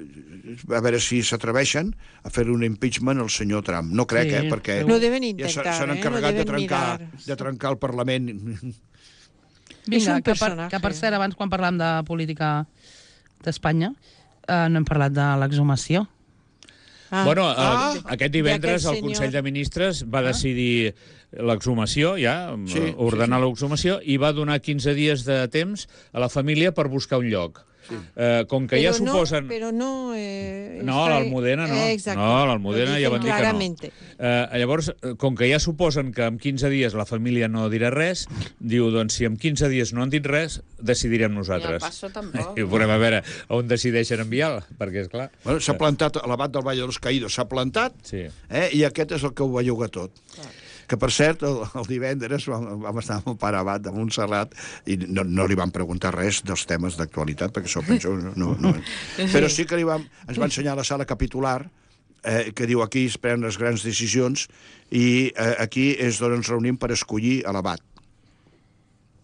a veure si s'atreveixen a fer un impeachment al senyor Trump. No crec, Sí, eh? Perquè Lo deben ja intentar, s'han eh? encarregat Lo de, deben trencar, mirar. de trencar el Parlament. Vinga, És un que, per, personatge. que per cert, abans quan parlàvem de política d'Espanya, eh, no hem parlat de l'exhumació. Ah. Bueno, eh, Ah. aquest divendres D'aquest el Consell senyor. de Ministres va decidir l'exhumació, ja, Sí, sí, ordenar sí, sí. l'exhumació, i va donar quinze dies de temps a la família per buscar un lloc. Sí. Eh, com que Pero ja no, suposen... pero no, eh, No, está- l'Almudena no. Eh, exacto. No, l'Almudena Lo ja dicen van dir que no. claramente. Eh, llavors, eh, com que ja suposen que en quinze dies la família no dirà res, diu, doncs, si en quinze dies no han dit res, decidirem I nosaltres. el Passo tampoc. I veurem a veure on decideixen enviar-la, perquè, és clar... Bueno, s'ha plantat a l'abat del Vall dels Caïdos, s'ha plantat, Sí. eh? I aquest és el que ho belluga tot. Que, per cert, el, el divendres vam, vam estar amb el pare abat de Montserrat i no, no li vam preguntar res dels temes d'actualitat, perquè això penso... No, no, no. Però sí que li vam, ens va ensenyar la sala capitular, eh, que diu aquí es prenen les grans decisions, i eh, aquí és d'on ens reunim per escollir a l'abat.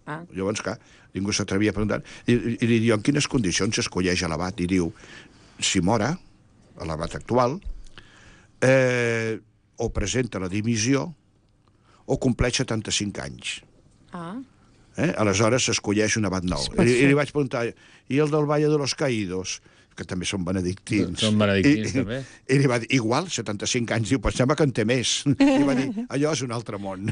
Ah. Llavors, clar, ningú s'atrevia a preguntar. I, i, i li diu, en quines condicions s'escolleix a l'abat? I diu, si mora, a l'abat actual, eh, o presenta la dimissió, o compleix setanta-cinc anys. Ah. Eh? Aleshores s'escolleix un abat nou. I, I li vaig preguntar, i el del Valle de los Caídos? Que també són benedictins. Són benedictins, I, també. I, I li va dir, igual, setanta-cinc anys. Diu, pensava que en té més. I va dir, allò és un altre món.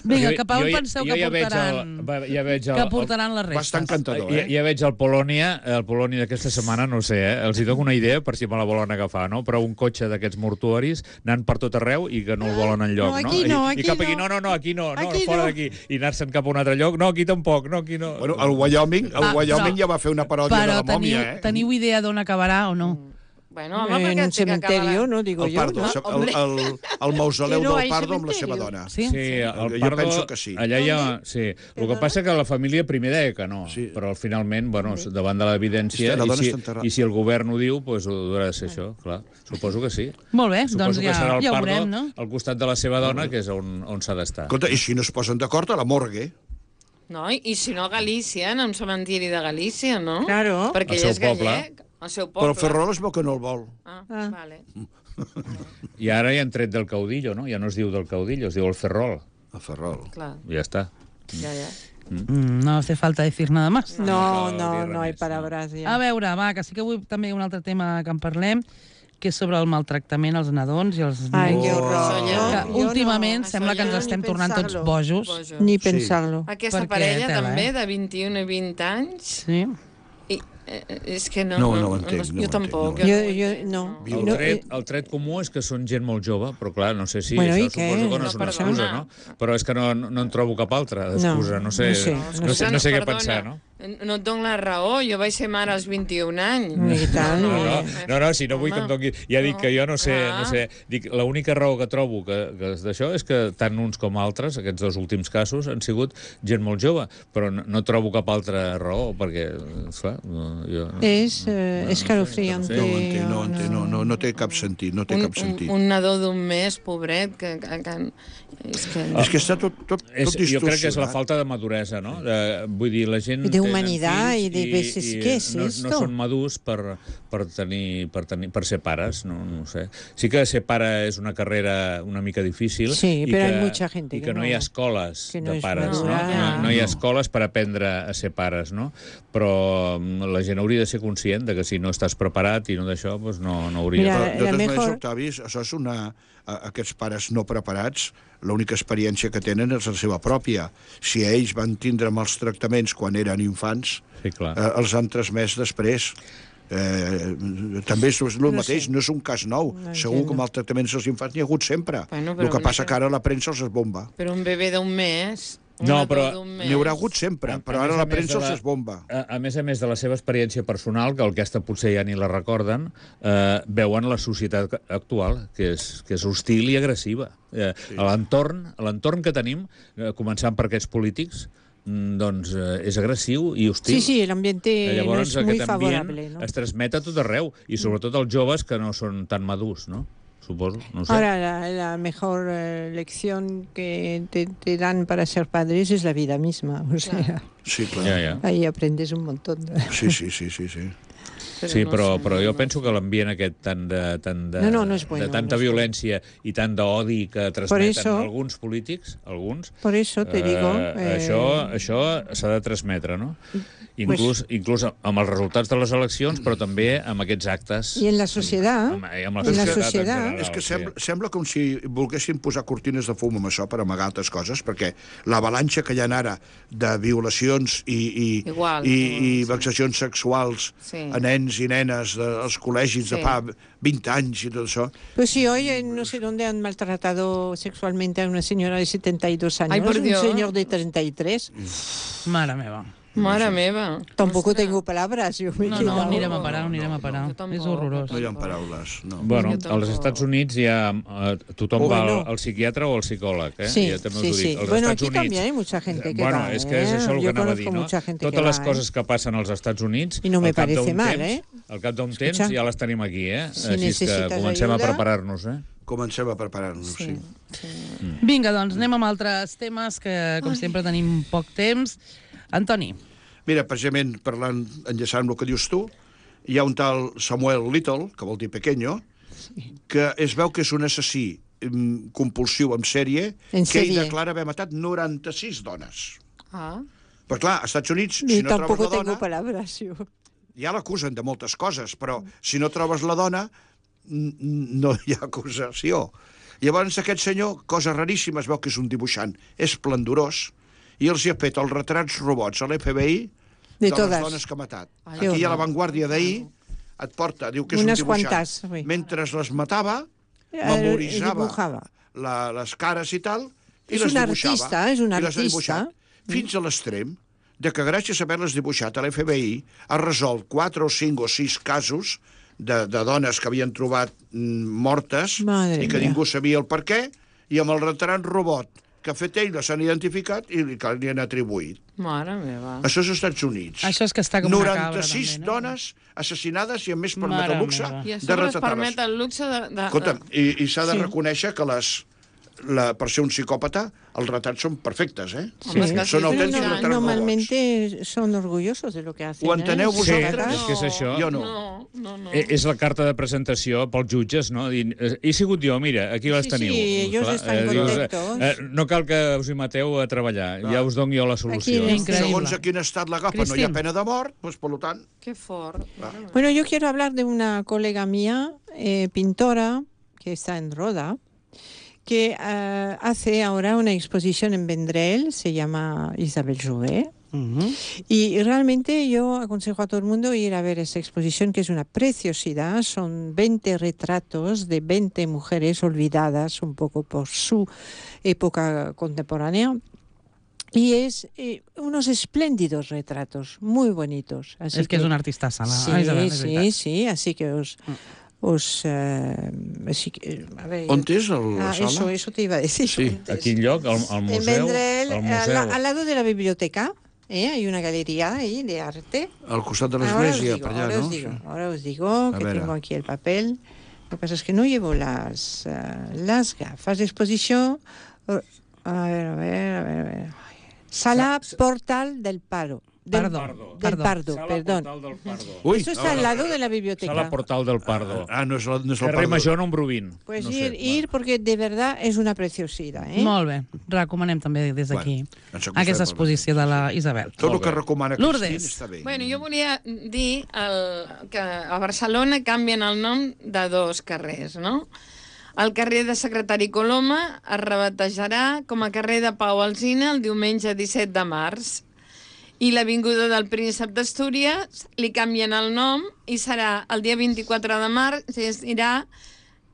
Vinga, Jo- cap a on jo ja- penseu jo que ja veig portaran, el- va- ja veig el- que portaran les Va restes? estar encantador, Ja, eh? ja veig el Polònia, el Polònia d'aquesta setmana, no ho sé, eh? Els hi dono una idea per si me la volen agafar, no? Però un cotxe d'aquests mortuoris anant per tot arreu i que no el volen enlloc, No, no? aquí no, I, aquí I cap aquí, no. no, no, no, aquí no, no, Aquí fora no. d'aquí. I anar-se'n cap a un altre lloc, no, aquí tampoc, no, aquí no. Bueno, el Wyoming, el Ah, Wyoming però- ja va fer una paròdia de Però la teniu, mòmia, eh? teniu idea d'on acabarà o no? Bueno, home, En perquè un té que acabar cementerio, la- no digo El yo, Pardo, ¿no? el, el, el, el mausoleu Que no del hay Pardo amb la seva cementerio. dona. Sí? Sí, el Jo Pardo, penso que sí. allà ja... Sí. El que passa que la família primer deia que no, Sí. però finalment, bueno, davant de l'evidència, Hòstia, la i, dona si, està enterrada. i si el govern ho diu, doncs ho haurà de ser això, clar. Suposo que sí. Molt bé, Suposo doncs que ja, serà el ja ho Pardo veurem, no? al costat de la seva dona, que és on, on s'ha d'estar. Escolta, i si no es posen d'acord, a la morgue. No, i, i si no a Galícia, en un cementiri de Galícia, no? Claro. Perquè Al ell seu és poble. gallec. Al seu Però poble. el Ferrol es veu que no el vol. Ah, Ah. vale. I ara ja han tret del caudillo, no? Ja no es diu del caudillo, es diu el Ferrol. El Ferrol. Clar, I ja està. ja, ja. Mm, no hace falta decir nada más. No, cal dir no, res no hay més, palabras A ya. veure, va, que sí que avui també hi ha un altre tema que en parlem, que és sobre el maltractament als nadons i als Ay, nens. qué Oh. horror. Que Yo- Que yo últimament no, sembla que ens això ja estem ni tornant tots pensar-lo. bojos. Bojo. Ni Sí. pensarlo. Aquesta Perquè, parella tela, també, eh? de vint-i-un i vint anys, Sí. i, eh, és que no... No, no ho entenc, no ho jo entenc, tampoc. no ho jo entenc. ho Jo- jo- entenc, no. El No, tret, eh, el tret comú és que són gent molt jove, però clar, no sé si Bueno, això i què? suposo que no és No, una excusa, perdona. no? Però és que no, no en trobo cap altra d'excusa, no, No, sé, no sé, no, no sé, no sé, Perdona, no sé què perdona, pensar, no? No et dono la raó, jo vaig ser mare als vint-i-un anys. I tant, No, eh. no, no, no, si no vull que em doni... Ja dic que jo no sé, Ah. no sé. Dic, l'única raó que trobo que, que és d'això és que tant uns com altres, aquests dos últims casos, han sigut gent molt jove, però no, no trobo cap altra raó, perquè, esclar, no, jo... No, Es eh, escalofriante. No ho entenc, no, ho entenc, no, no, no té cap sentit, no té Un, cap un, sentit. un nadó d'un mes, pobret, que... que, que és que... És que està tot, tot, és, tot jo crec que és la distorsionat. falta de maduresa, no? De, vull dir, la gent... De tenen humanidad fills i de veces, i ¿qué es no, esto? no són madurs per, per, tenir, per, tenir, per ser pares, no, no ho sé. Sí que ser pare és una carrera una mica difícil. Sí, i però que, hay mucha gente I que que no no- hi ha escoles que no de és pares, no? madura. No, no hi ha escoles per aprendre a ser pares, no? Però mm, la gent hauria de ser conscient de que si no estàs preparat i no d'això, doncs no, no hauria... Mira, Però, de... de la totes mejor- maneres, Octavi, això és una... a- Aquests pares no preparats, l'única experiència que tenen és la seva pròpia. Si ells van tindre mals tractaments quan eren infants, Sí, clar. eh, els han transmès després. Eh, també és el No mateix, sé. no és un cas nou. No Segur entiendo. que maltractaments als infants n'hi ha hagut sempre. Bueno, però el que una passa que- que ara la premsa els es bomba. Però un bebè d'un mes No, però n'hi haurà hagut sempre, A- però a ara més a la més premsa de la- els esbomba. A, a més a més de la seva experiència personal, que aquesta potser ja ni la recorden, eh, veuen la societat actual, que és, que és hostil i agressiva. Eh, sí. A l'entorn a l'entorn que tenim, eh, començant per aquests polítics, mm, doncs eh, és agressiu i hostil. Sí, sí, el ambiente Eh, no Llavors, es muy aquest ambient favorable, ¿no? es transmet a tot arreu, i sobretot els joves que no són tan madurs, no? Suposo, no sé. Ahora, la, la mejor eh, lección que te, te dan para ser padres es la vida misma. O sea, Sí, clar. Ja, ja. ahí aprendes un montón. De... Sí, sí, sí, sí, sí. Sí, no però, sé, però jo no penso que l'ambient aquest tant de, tant de, No, no, no és bueno, de tanta no és violència i tant d'odi que transmeten eso- alguns polítics, alguns, Por eso te digo... eh, eh, això això s'ha de transmetre, no? Inclús, inclús amb els resultats de les eleccions, però també amb aquests actes. Y en la sociedad, Amb, amb la en la societat, en societat- general, És que sí. sembla, sembla com si volguessin posar cortines de fum amb això per amagar altres coses, perquè l'avalanxa que hi ha ara de violacions i, i, Igual, i, igual, i sí. vexacions sexuals Sí. a nens i nenes dels col·legis de Sí. fa vint anys i tot això, pues si hoy en no sé dónde han maltratado sexualmente a una señora de setenta y dos años, Ay, por un Dios. señor de treinta y tres, Mare meva. Mare meva. tampoco Ostres. tengo palabras. Yo me he No, quedado- no, anirem a parar, anirem a parar. Jo tampoc, És horrorós. no hi ha Tampoc. paraules. No. Bueno, Jo tampoc. als Estats Units ja eh, tothom Oh, va al, bueno. al psiquiatre o al psicòleg, eh? Sí, ja també us sí, ho dic. sí. Als Bueno, Estats aquí Units, también hay mucha gente que bueno, va, és que és ¿eh? això el Yo que anava a conozco dir, no? mucha gente Totes que les va, coses ¿eh? que passen als Estats Units, I no me al cap parece d'un mal, temps, ¿eh? al cap d'un Escucha. temps ja les tenim aquí, eh? Si Així és que necessites comencem ajuda- a preparar-nos, eh? Comencem a preparar-nos, sí. Sí. Vinga, doncs anem amb altres temes que, com sempre, tenim poc temps. Antoni. Mira, precisament parlant, enllaçant amb el que dius tu, hi ha un tal Samuel Little, que vol dir pequeño, que es veu que és un assassí mm, compulsiu en sèrie, En que ell sèrie. declara haver matat noranta-sis dones. Ah, Però clar, als Estats Units, Ni si no trobes tampoco la tengo dona, palabras. Yo. ja l'acusen de moltes coses, però si no trobes la dona, n- n- no hi ha acusació. Llavors aquest senyor, cosa raríssima, es veu que és un dibuixant esplendorós, i els hi ha fet els retrats robots a l'F B I De de, todas. les dones que ha matat. Ai, Aquí que a horror. l'avantguàrdia d'ahir et porta, diu que és Unes un dibuixant. quantes, oui. Mentre les matava, Eh, memoritzava dibujava. la, les cares i tal, i És les un dibuixava. artista, és un I les ha artista. dibuixat, fins a l'extrem de que gràcies a haver-les dibuixat a l'F B I ha resolt quatre o cinc o sis casos de, de dones que havien trobat mm, mortes Madre i que mía. ningú sabia el per què, i amb el retrat robot que ha fet ell les han identificat i li, que li han atribuït. mare meva. Això és als Estats Units. Això és que està com una cabra, noranta-sis també, no? dones assassinades i a més permet Mare el luxe meva. I a de sobre es retratar-les. permet el luxe de... de, Escolta, de... i, i s'ha de Sí. reconèixer que les, la, per ser un psicòpata, els retrats són perfectes, eh? Home, és que Són sí, autèntics no, retrats robots. Normalmente son orgullosos de lo que hacen. Ho enteneu ¿eh? Sí, vosaltres? és que és això. Jo no. No, no, no. Eh, És la carta de presentació pels jutges, no? Dient, eh, he sigut jo, mira, aquí les Sí, teniu. sí, ellos Clar, estan dius, contentos. eh, no cal que us hi mateu a treballar, ja us dono jo la solució. Aquí Increïble. Segons a quin estat l'agafa, no hi ha Cristín. pena de mort, doncs, per tant... Que fort. Mare meva. Bueno, yo quiero hablar de una colega mía, eh, pintora, que está en Roda, que eh, hace ahora una exposición en Vendrell, se llama Isabel Jouvet. Mhm. Y realmente yo aconsejo a todo el mundo ir a ver esta exposición, que es una preciosidad. Son veinte retratos de veinte mujeres olvidadas un poco por su época contemporánea. Y es eh, unos espléndidos retratos, muy bonitos. Así És que és una artista sala. Sí, Isabel, és sí, veritat. sí, así que os... os eh, así que, a ver, On és el, la ah, sala? eso, eso te iba a decir. Sí. antes. A quin lloc? Al, al En museu? Vendrell, al al, museu. al lado de la biblioteca, ¿eh? Hay una galería ahí de arte. Al costat de Ahora os l'església, digo, per allà, ahora no? os digo, Sí. ahora os digo que veure. tengo aquí el papel. Lo que pasa es que no llevo las, eh, las gafas de exposición. Oh, A ver, a ver, a ver. A ver. Sala Portal del Paro. Del Pardo. Del Pardo. Pardo, Sala perdón. Portal del Pardo. Ui, Eso está al lado de la biblioteca. Sala Portal del Pardo. Ah, no és, la, no és el Carrer Pardo. Major número vint. Pues no ir, sé, ir porque de verdad es una preciosidad. ¿eh? Molt bé. Recomanem també des d'aquí Bueno, ens acusem aquesta pel exposició de la Isabel. Tot el Molt que bé. recomana Lourdes. Cristín està bé. Bueno, jo volia dir el, que a Barcelona canvien el nom de dos carrers, no? El carrer de Secretari Coloma es rebatejarà com a carrer de Pau Alsina el diumenge disset de març. I l'Avinguda del Príncep d'Astúries li canvien el nom i serà el dia vint-i-quatre de març i es dirà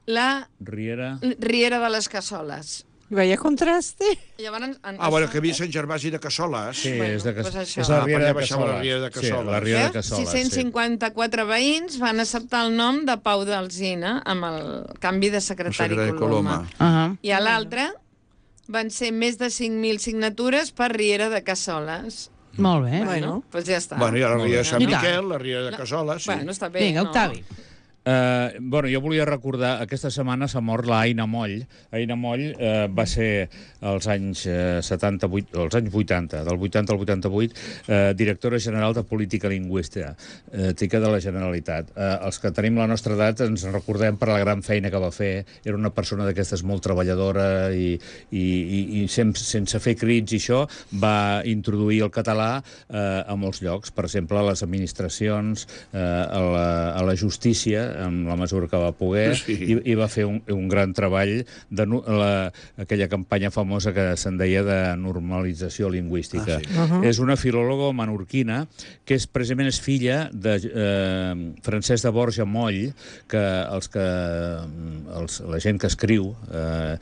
la Riera... Riera de les Cassoles. Vaya contraste. Llavors, en, Ah, bueno, que havia Sant Gervasi de Cassoles. Sí, Bueno, és, de Cas... doncs això. és la Ah, Riera per allà de baixava Cassoles. la Riera de Cassoles. Sí, la Riera de Cassoles, sis-cents cinquanta-quatre veïns van acceptar el nom de Pau d'Alzina amb el canvi de secretari, Secretari Coloma. Coloma. Uh -huh. I a l'altre van ser més de cinc mil signatures per Riera de Cassoles. Molt bé. Bueno. Doncs pues ja està. Bueno, i a la Riera de Sant I tant. Miquel, la Riera de Cassoles, sí. Bueno, està bé, Vinga, no? Octavi. Uh, bueno, jo volia recordar, aquesta setmana s'ha mort la Aina Moll. Aina Moll uh, va ser als anys uh, setanta-vuit, als anys vuitanta, del vuitanta al vuitanta-vuit, uh, directora general de Política Lingüística uh, de la Generalitat. Uh, els que tenim la nostra edat ens recordem per la gran feina que va fer. Era una persona d'aquestes molt treballadora i, i, i, i sem sense fer crits i això, va introduir el català uh, a molts llocs, per exemple, a les administracions, uh, a, la, a la justícia, en la mesura que va poder, Sí. i, i va fer un, un gran treball de nu- la, aquella campanya famosa que se'n deia de normalització lingüística. Ah, sí. Uh -huh. És una filòloga menorquina que és precisament és filla de eh, Francesc de Borja Moll, que els que els, la gent que escriu eh,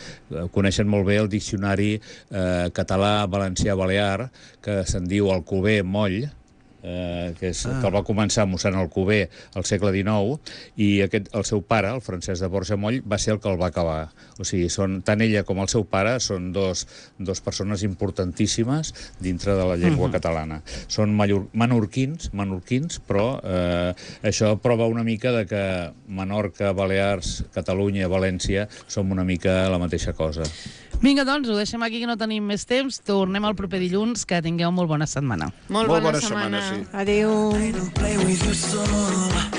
coneixen molt bé el diccionari eh, català-valencià-balear, que se'n diu Alcover Moll, Eh, que, és, ah. que el va començar mossèn Alcover al segle dinou, i aquest, el seu pare, el Francesc de Borja Moll, va ser el que el va acabar. O sigui, són, tant ella com el seu pare són dos, dos persones importantíssimes dintre de la llengua uh -huh. catalana. Són mallor, menorquins, menorquins, però eh, això prova una mica de que Menorca, Balears, Catalunya, València som una mica la mateixa cosa. Vinga, doncs, ho deixem aquí, que no tenim més temps. Tornem el proper dilluns. Que tingueu molt bona setmana. Molt, Molt bona, bona setmana, setmana. sí. Adeu. Play with you so